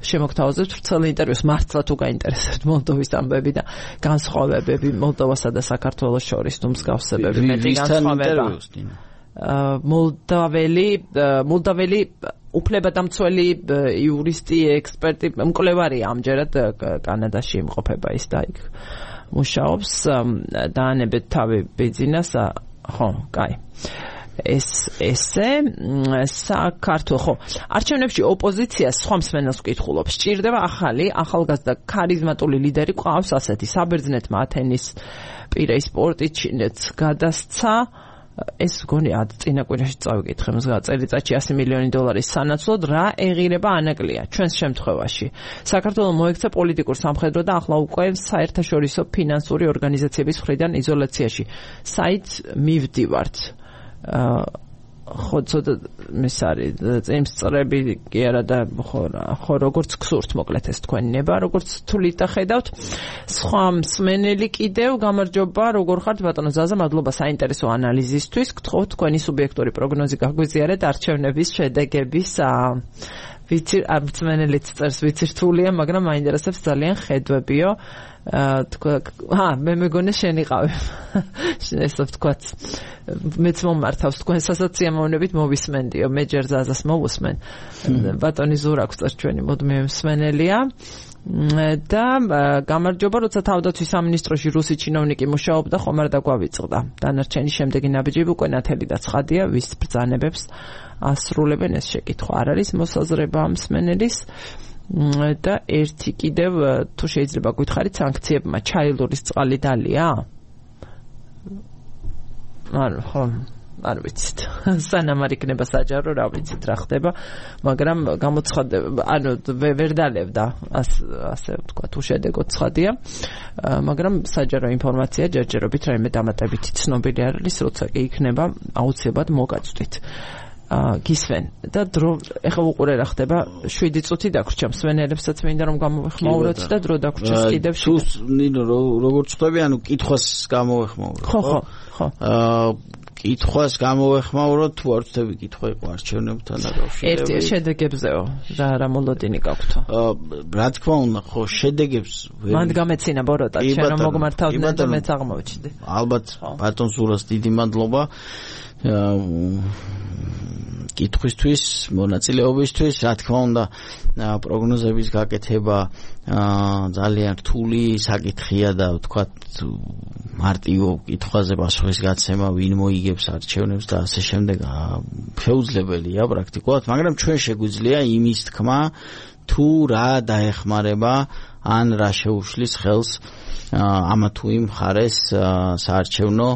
შემოგთავაზებთ ვრცელ ინტერვიუს მართლა თუ გაინტერესებთ მოლდოვის ამბები და განსხვავებები მოლდოვასა და საქართველოს შორის თუ მსგავსებები მეტი განსხვავება მოლდაველი უფლებადამცველი იურისტი ექსპერტი მკვლევარია ამჯერად კანადაში იმყოფება ის და იქ მუშაობს დაანებეთ თავი ბიძინას ხო კაი ესე საქართველოს ხო არჩევნებში ოპოზიცია სხვა მსმენელს ვკითხულობს სჭირდება ახალგაზრდა ქარიზმატული ლიდერი ყავს ასეთი საბერძნეთმა ათენის პირეის სპორტით ჩინეთს გადასცა ეს გონი წინა კვირაში წავიკითხე წელიწადში $100 მილიონი სანაცვლოდ რა ეღირება ანაკლია ჩვენს შემთხვევაში საქართველოს მოექცა პოლიტიკურ სამხედრო და ახლა უკვე საერთაშორისო ფინანსური ორგანიზაციების მხრიდან იზოლაციაში საით მივდივართ ხო ცოტა მის არის წემსწრები კი არა და ხო როგორც გსურთ მოკლედ ეს თქვენი ნება როგორც თulit ხედავთ სხვა მსმენელი კიდევ გამარჯობა როგორ ხართ ბატონო ზაზა მადლობა საინტერესო ანალიზისთვის გთხოვთ თქვენი სუბიექტური პროგნოზი გაგვიზიარეთ არჩევნების შედეგების ვიცი მსმენელიც წერს ვიცი რთულია მაგრამ მაინტერესებს ძალიან ხედვებიო მე მეგონე შენიყავი ესე ვთქვათ მეც მომართავს თქვენ სასაციამოვნებით მოვისმენდიო მე ჯერ ზაზას მოვუსმენ ბატონი ზურაკს წერს ჩვენი მოდმე მსმენელია და გამარჯობა როცა თავდაცვის სამინისტროში რუსი ჩინოვნიკი მუშაობდა ხომ არ დაგვავიწყდა დანარჩენი შემდეგი ნაბიჯები უკვე ნათელი და ცხადია ვის ბრძანებებს ასრულებენ ეს შეკითხვა არ არის მოსაზრება მსმენელის და ერთი კიდევ თუ შეიძლება გითხარით სანქციებმა ჩაილურის წყალი დალია არ ვიცით სანამ არ იქნება საჯარო რა ვიცით რა ხდება მაგრამ გამოცხადება ანუ ვერ დალებდა ასე ვთქვათ უშედეგოდ ცხადია მაგრამ საჯარო ინფორმაცია ჯერჯერობით რაიმე დამატებითი ცნობილი არ არის როცა კი იქნება აუცილებლად მოგაწვდით გისვენ და დრო ეხლა უყურე რა ხდება 7 წუთი დაგვრჩა მსმენელებსაც მინდა რომ გამოვეხმაუროთ და დრო დაგვრჩეს კიდევ თუ ნინო როგორც ხვდები ანუ კითხვას გამოვეხმაუროთ ხო კითხვას გამოვეხმაუროთ თუ არ ვთქვი კითხვა იყო არჩევნებთან დაკავშირებით ერთი შედეგებზეო რა მოლოდინი გაქვთო რა თქმა უნდა ხო შედეგებს მანდ გამეცინა ბოროტა შენ რომ მოგმართავდნენ და მეც აღმოვჩნდი ალბათ ბატონ ზურას დიდი მადლობა კითხვისთვის მონაწილეობისთვის რა თქმა უნდა პროგნოზების გაკეთება ძალიან რთული საკითხია და ვთქვათ მარტივ კითხვაზე პასუხის გაცემა ვინ მოიგებს არჩევნებს და ასე შემდეგ შეუძლებელია პრაქტიკულად მაგრამ ჩვენ შეგვიძლია იმის თქმა თუ რა დაეხმარება ან რა შეუშლის ხელს ამა თუ იმ მხარეს საარჩევნო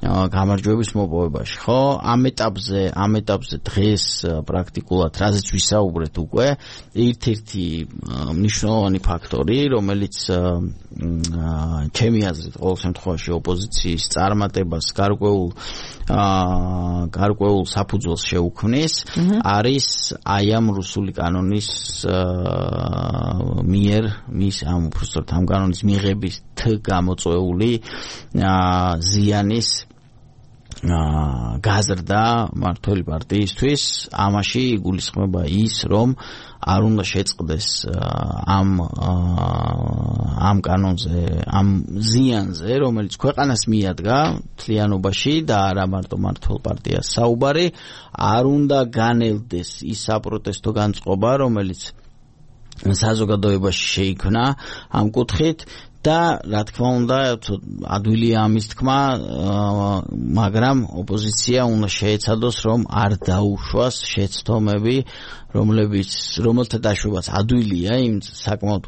გამარჯვების მოპოვებაში ხო ამ ეტაპზე დღეს პრაქტიკულად რაზეც ვისაუბრეთ უკვე ერთ-ერთი მნიშვნელოვანი ფაქტორი რომელიც ჩემი აზრით ყოველ შემთხვევაში ოპოზიციის წარმატებას გარკვეულ საფუძველს შეუქმნის არის აი ამ რუსული კანონის მიერ ამ უბრალოდ ამ კანონის მიღების გამოწვეული ზიანის გაზრდა მართველი პარტიისთვის ამაში იგულისხმება ის რომ არ უნდა შეწყდეს ამ ამ კანონზე, ამ ზიანზე, რომელიც ქვეყანას მიადგა თლიანობაში და არა მარტო მართლ პარტიას საუბარი, არ უნდა განელდეს ის საპროტესტო განწყობა, რომელიც საზოგადოებაში შეიქმნა ამ კუთხით და რა თქმა უნდა ადვილია ამის თქმა, მაგრამ ოპოზიცია უნდა შეეცადოს, რომ არ დაუშვას შეცდომები, რომელთა დაშვებაც ადვილია იმ საკმაოდ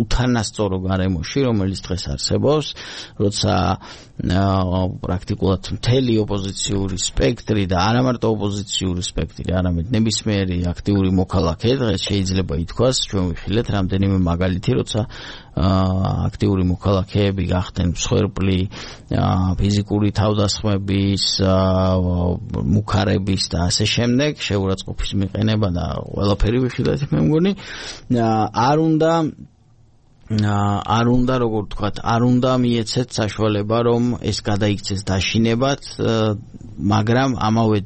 უთანასწორო გარემოში, რომელიც დღეს არსებობს, როცა პრაქტიკულად მთელი ოპოზიციური სპექტრი და არა მარტო ოპოზიციური სპექტრი, არამედ ნებისმიერი აქტიური მოქალაქე დღეს შეიძლება ითქვას, ჩვენ ვიხილეთ რამდენიმე მაგალითი, როცა აქტიური მოქალაქეები გახდნენ მსხვერპლი ფიზიკური თავდასხმების, მუქარების და ასე შემდეგ, შეურაცხყოფის მიყენება და ყველაფერი ვიხილეთ, მე მგონი, არ უნდა როგორ ვთქვათ, არ უნდა მიეცეთ საშუალება, რომ ეს გადაიქცეს დაშინებად, მაგრამ ამავე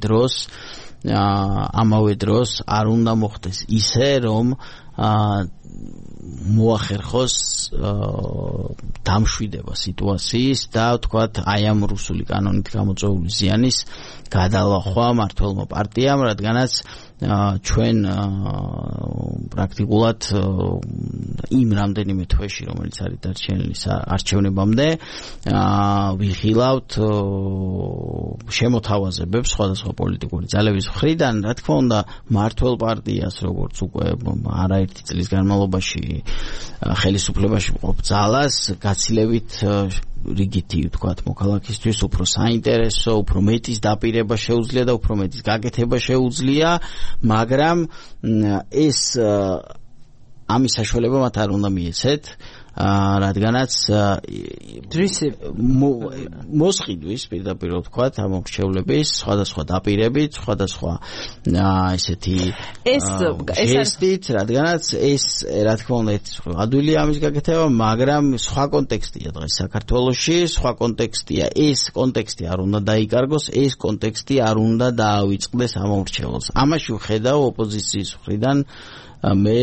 დროს არ უნდა მოხდეს ისე, რომ მოახერხოს დამშვიდება სიტუაციის და ვთქვათ, აი ამ რუსული კანონით გამოწვეული ზიანის გადალახვა მართლმა პარტიამ, რადგანაც ჩვენ პრაქტიკულად იმ რამდენიმე თვეში, რომელიც არის დარჩენილი არჩევნებამდე, ვიხილავთ შემოთავაზებებს სხვადასხვა პოლიტიკური ძალების მხრიდან, რა თქმა უნდა, მართლ პარტიას, როგორც უკვე არაერთი წლის განმავლობაში ხელისუფლებაში მყოფ ძალას გაცილებით რიგითი ვთქვათ მოქალაქისთვის უფრო საინტერესო, უფრო მეტის დაპირება შეუძლია და უფრო მეტის გაკეთება შეუძლია, მაგრამ ეს ამის საშუალება მათ არ უნდა მიეცეთ, რადგანაც მოსყიდვის პირდაპირ ვთქვათ ამ მრჩევლების სხვადასხვა დაპირებით, სხვადასხვა ესეთი ჟესტით, რადგანაც ეს რა თქმა უნდა ადვილია ამის გაკეთება, მაგრამ სხვა კონტექსტია დღეს საქართველოში, სხვა კონტექსტია, ეს კონტექსტი არ უნდა დაიკარგოს, ეს კონტექსტი არ უნდა დაავიწყდეს ამ მრჩეველს. ამაში ვხედავ ოპოზიციის მხრიდან მე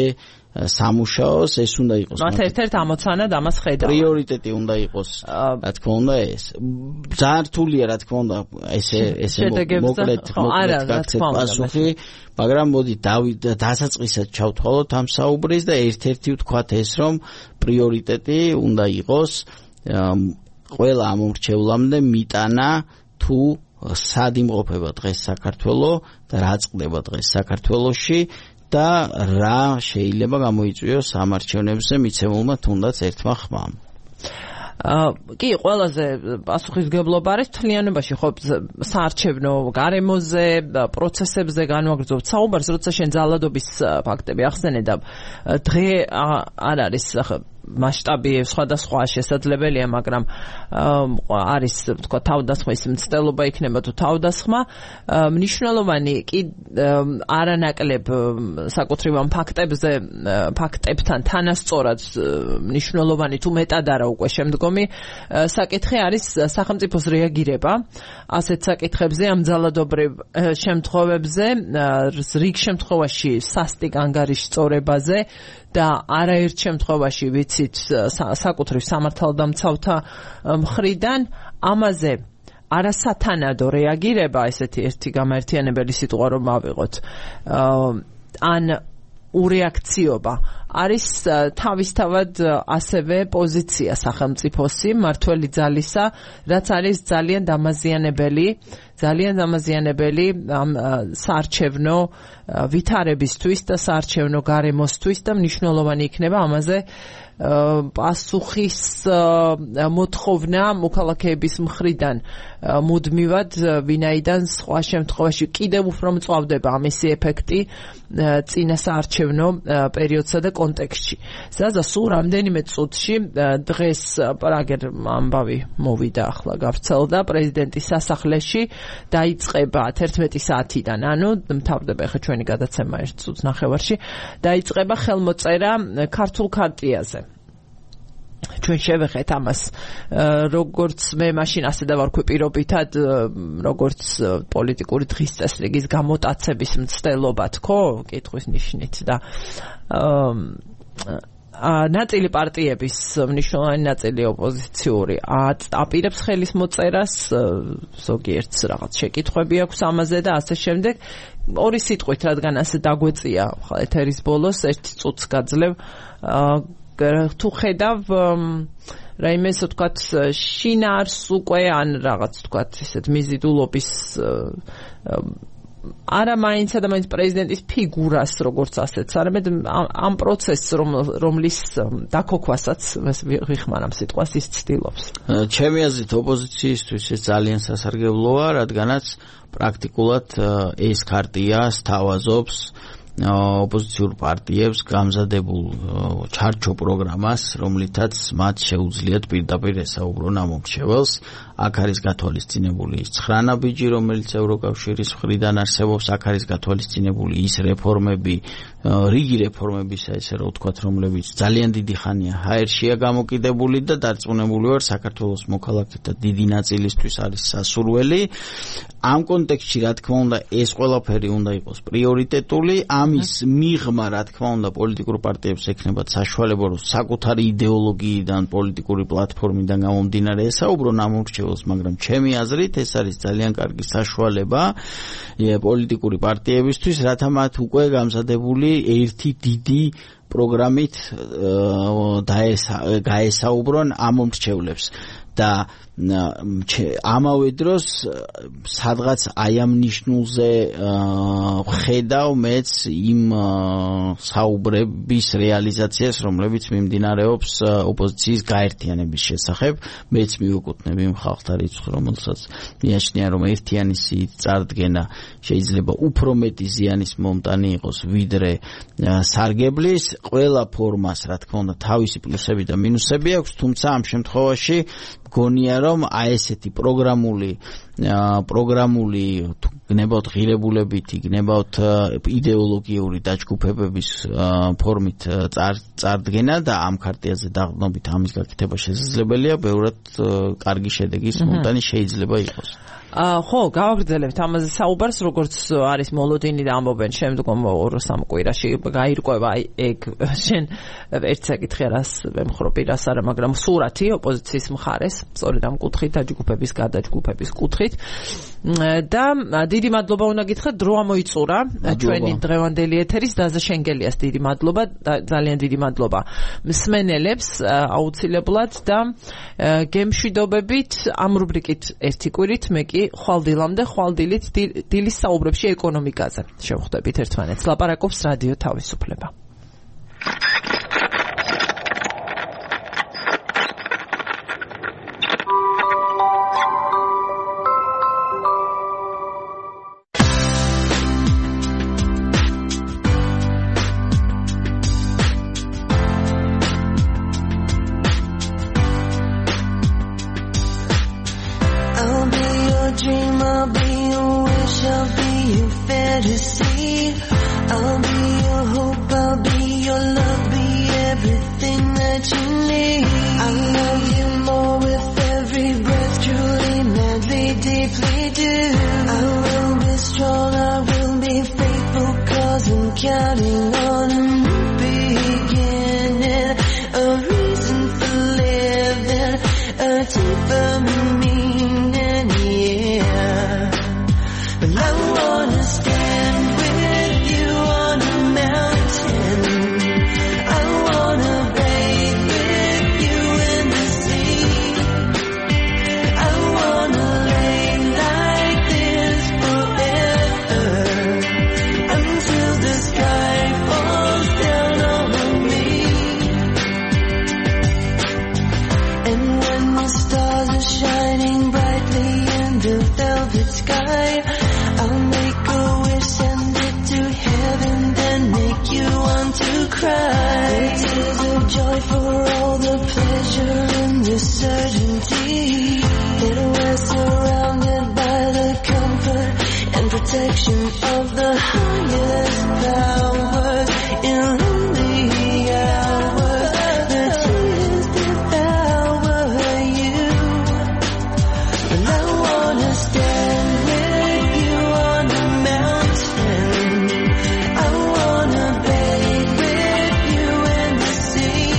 სამუშაოს, ეს უნდა იყოს მათ ერთ-ერთ ამოცანად ამას ხედავ. პრიორიტეტი უნდა იყოს, რა თქმა უნდა ეს. ძალიან რთულია, რა თქმა უნდა, ესე მოკლედ გაქცეთ პასუხი, მაგრამ მოდი დასაწყისად ჩავთვალოთ ამ საუბრის და ერთ-ერთი ვთქვათ ეს, რომ პრიორიტეტი უნდა იყოს ყველა ამორჩევლამდე მიტანა თუ სად იმყოფება დღეს საქართველო და რა წყდება დღეს საქართველოში და რა შეიძლება გამოიწვიოს ამარჩევნებზე მიცემულმა თუნდაც ერთმა ხმამ. კი, ყველაზე პასუხისმგებლობა არის თლიანობაში, ხო, საარჩევნო გარემოზე, პროცესებზე განვაგრძობთ საუბარს, როცა შენ ძალადობის ფაქტები ახსენე და დღე არ არის მასშტაბი სხვადასხვა შესაძლებელია, მაგრამ არის თქვა თავდასხმის მცდელობა იქნება თუ თავდასხმა, მნიშვნელოვანი კი არანაკლებ საკუთრივ ამ ფაქტებთან თანასწორად მნიშვნელოვანი თუ მეტად არა უკვე შემდგომი საკითხი არის სახელმწიფოს რეაგირება ასეთ საკითხებზე, ამ ძალადობრივ შემთხვევებზე, რიგ შემთხვევაში სასტიკ ანგარიშწორებაზე და არაერთ შემთხვევაში ვიცით საკუთრივ სამართალდამცავთა მხრიდან ამაზე არასათანადო რეაგირება, ესეთი ერთი გამაერთიანებელი სიტყვა რომ ავიღოთ, ან ურეაქციობა არის თავისთავად ასევე პოზიცია სახელმწიფოსი მართველი ძალისა, რაც არის ძალიან დამაზიანებელი ამ საარჩევნო ვითარებისთვის და საარჩევნო გარემოსთვის და მნიშვნელოვანი იქნება ამაზე პასუხის მოთხოვნა მოქალაქეების მხრიდან მუდმივად, ვინაიდან სხვა შემთხვევაში კიდევ უფრო მწვავდება ამისი ეფექტი წინა საარჩევნო პერიოდსა და კონტექსტში. ზაზა სულ რამდენიმე წუთში დღეს პრაგერ ამბავი მოვიდა, ახლა გავრცელდა პრეზიდენტის სასახლეში, დაიწყება 11 საათიდან, ანუ მთავრდება ახლა ჩვენი გადაცემა 1 წუთს ნახევარში, დაიწყება ხელმოწერა ქართულ ქარტიაზე. ჩვენ შევეხეთ ამას, როგორც მე მაშინ ასე დავარქვი პირობითად, როგორც პოლიტიკური დღის წესრიგის გამოტაცების მცდელობად, ხო, კითხვის ნიშნით და ნაწილი პარტიების მნიშვნელოვანი ნაწილი ოპოზიციური აპირებს ხელის მოწერას, ზოგიერთს რაღაც შეკითხვები აქვს ამაზე და ასე შემდეგ. ორი სიტყვით, რადგან ასე დაგვეწია ხა ეთერის ბოლოს, ერთი წუთს გაძლევ, თუ ხედავ რაიმე ისე ვთქვათ შინაარს უკვე ან რაღაც ვთქვათ ისეთ მიზიდულობის არა მაინც ადამიანის პრეზიდენტის ფიგურას როგორც ასეთს, არამედ ამ პროცესს რომლის დაქოქვასაც ვიხმარ ამ სიტყვას ის ცდილობს. ჩემი აზრით ოპოზიციისთვის ეს ძალიან სასარგებლოა, რადგანაც პრაქტიკულად ეს ქარტია სთავაზობს ოპოზიციურ პარტიებს გამზადებულ ჩარჩო პროგრამას, რომლითაც მათ შეუძლიათ პირდაპირ ესაუბრონ ამ მომრჩეველს. აქ არის გათვალისწინებული ის 9 ნაბიჯი, რომელიც ევროკავშირის მხრიდან არსებობს, აქ არის გათვალისწინებული ის რეფორმები, რიგი რეფორმებისა, ესე რომ ვთქვათ, რომლებიც ძალიან დიდი ხანია ჰაერშია გამოკიდებული და დარწმუნებული ვარ, საქართველოს მოქალაქეთა დიდი ნაწილისთვის არის სასურველი. ამ კონტექსტში, რა თქმა უნდა, ეს ყველაფერი უნდა იყოს პრიორიტეტული. ამის მიღმა, რა თქმა უნდა, პოლიტიკურ პარტიებს ექნებათ საშუალება, რომ საკუთარი იდეოლოგიიდან, პოლიტიკური პლატფორმიდან გამომდინარე ესაუბრონ ამ მომრჩეველს, მაგრამ ჩემი აზრით ეს არის ძალიან კარგი საშუალება პოლიტიკური პარტიებისთვის, რათა მათ უკვე გამზადებული ერთი დიდი პროგრამით გაესაუბრონ ამ მომრჩევლებს და ამავე დროს სადღაც აი ამ ნიშნულზე ხედავ მეც იმ საუბრების რეალიზაციას, რომლებიც მიმდინარეობს ოპოზიციის გაერთიანების შესახებ. მეც მივეკუთვნები იმ ხალხთა რიცხვს, რომელსაც მიაჩნია, რომ ერთიანი სიით წარდგენა შეიძლება უფრო მეტი ზიანის მომტანი იყოს, ვიდრე სარგებლის. ყველა ფორმას, რა თქმა უნდა, თავისი პლუსები და მინუსები აქვს, თუმცა ამ შემთხვევაში გონია რომ აი ესეთი პროგრამული გნებავთ ღირებულებითი, გნებავთ იდეოლოგიური დაჯგუფებების ფორმით წარდგენა და ამ ქარტიაზე დაღდნობით ამის გაკეთება შესაძლებელია, ბევრად კარგი შედეგის მომტანი შეიძლება იყოს. ხო, გავაგრძელებთ ამაზე საუბარს, როგორც არის მოლოდინი და ამბობენ შემდგომ 2-3 კვირაში გაირკვევა ეგ შენ ერთ საკითხი რას ვემხრო პირას არა, მაგრამ სურათი ოპოზიციის მხარეს, სწორედ ამ კუთხით, დაჯგუფების გადაჯგუფების კუთხით. და დიდი მადლობა უნდა გითხრათ, დრო ამოიწურა ჩვენი დღევანდელი ეთერის დაზა შენგელიას დიდი მადლობა, ძალიან დიდი მადლობა მსმენელებს აუცილებლად და გემშვიდობებით ამ რუბრიკით ერთი კვირით მე კი ხვალდილამდე ხვალდილით დილის საუბრებში ეკონომიკაზე შევხვდებით ერთმანეთს. ლაპარაკობს რადიო თავისუფლება. See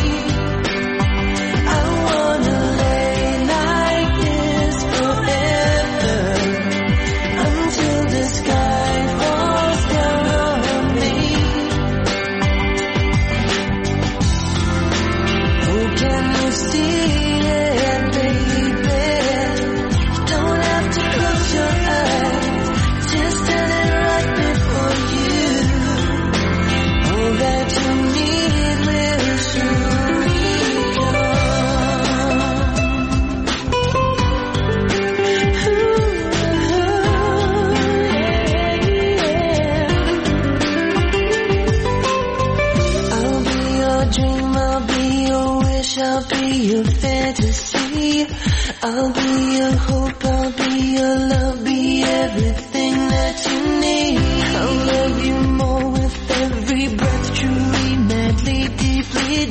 I'll be your fantasy. I'll be your hope, I'll be your love, be everything that you need. I'll love you more with every breath, truly, madly, deeply,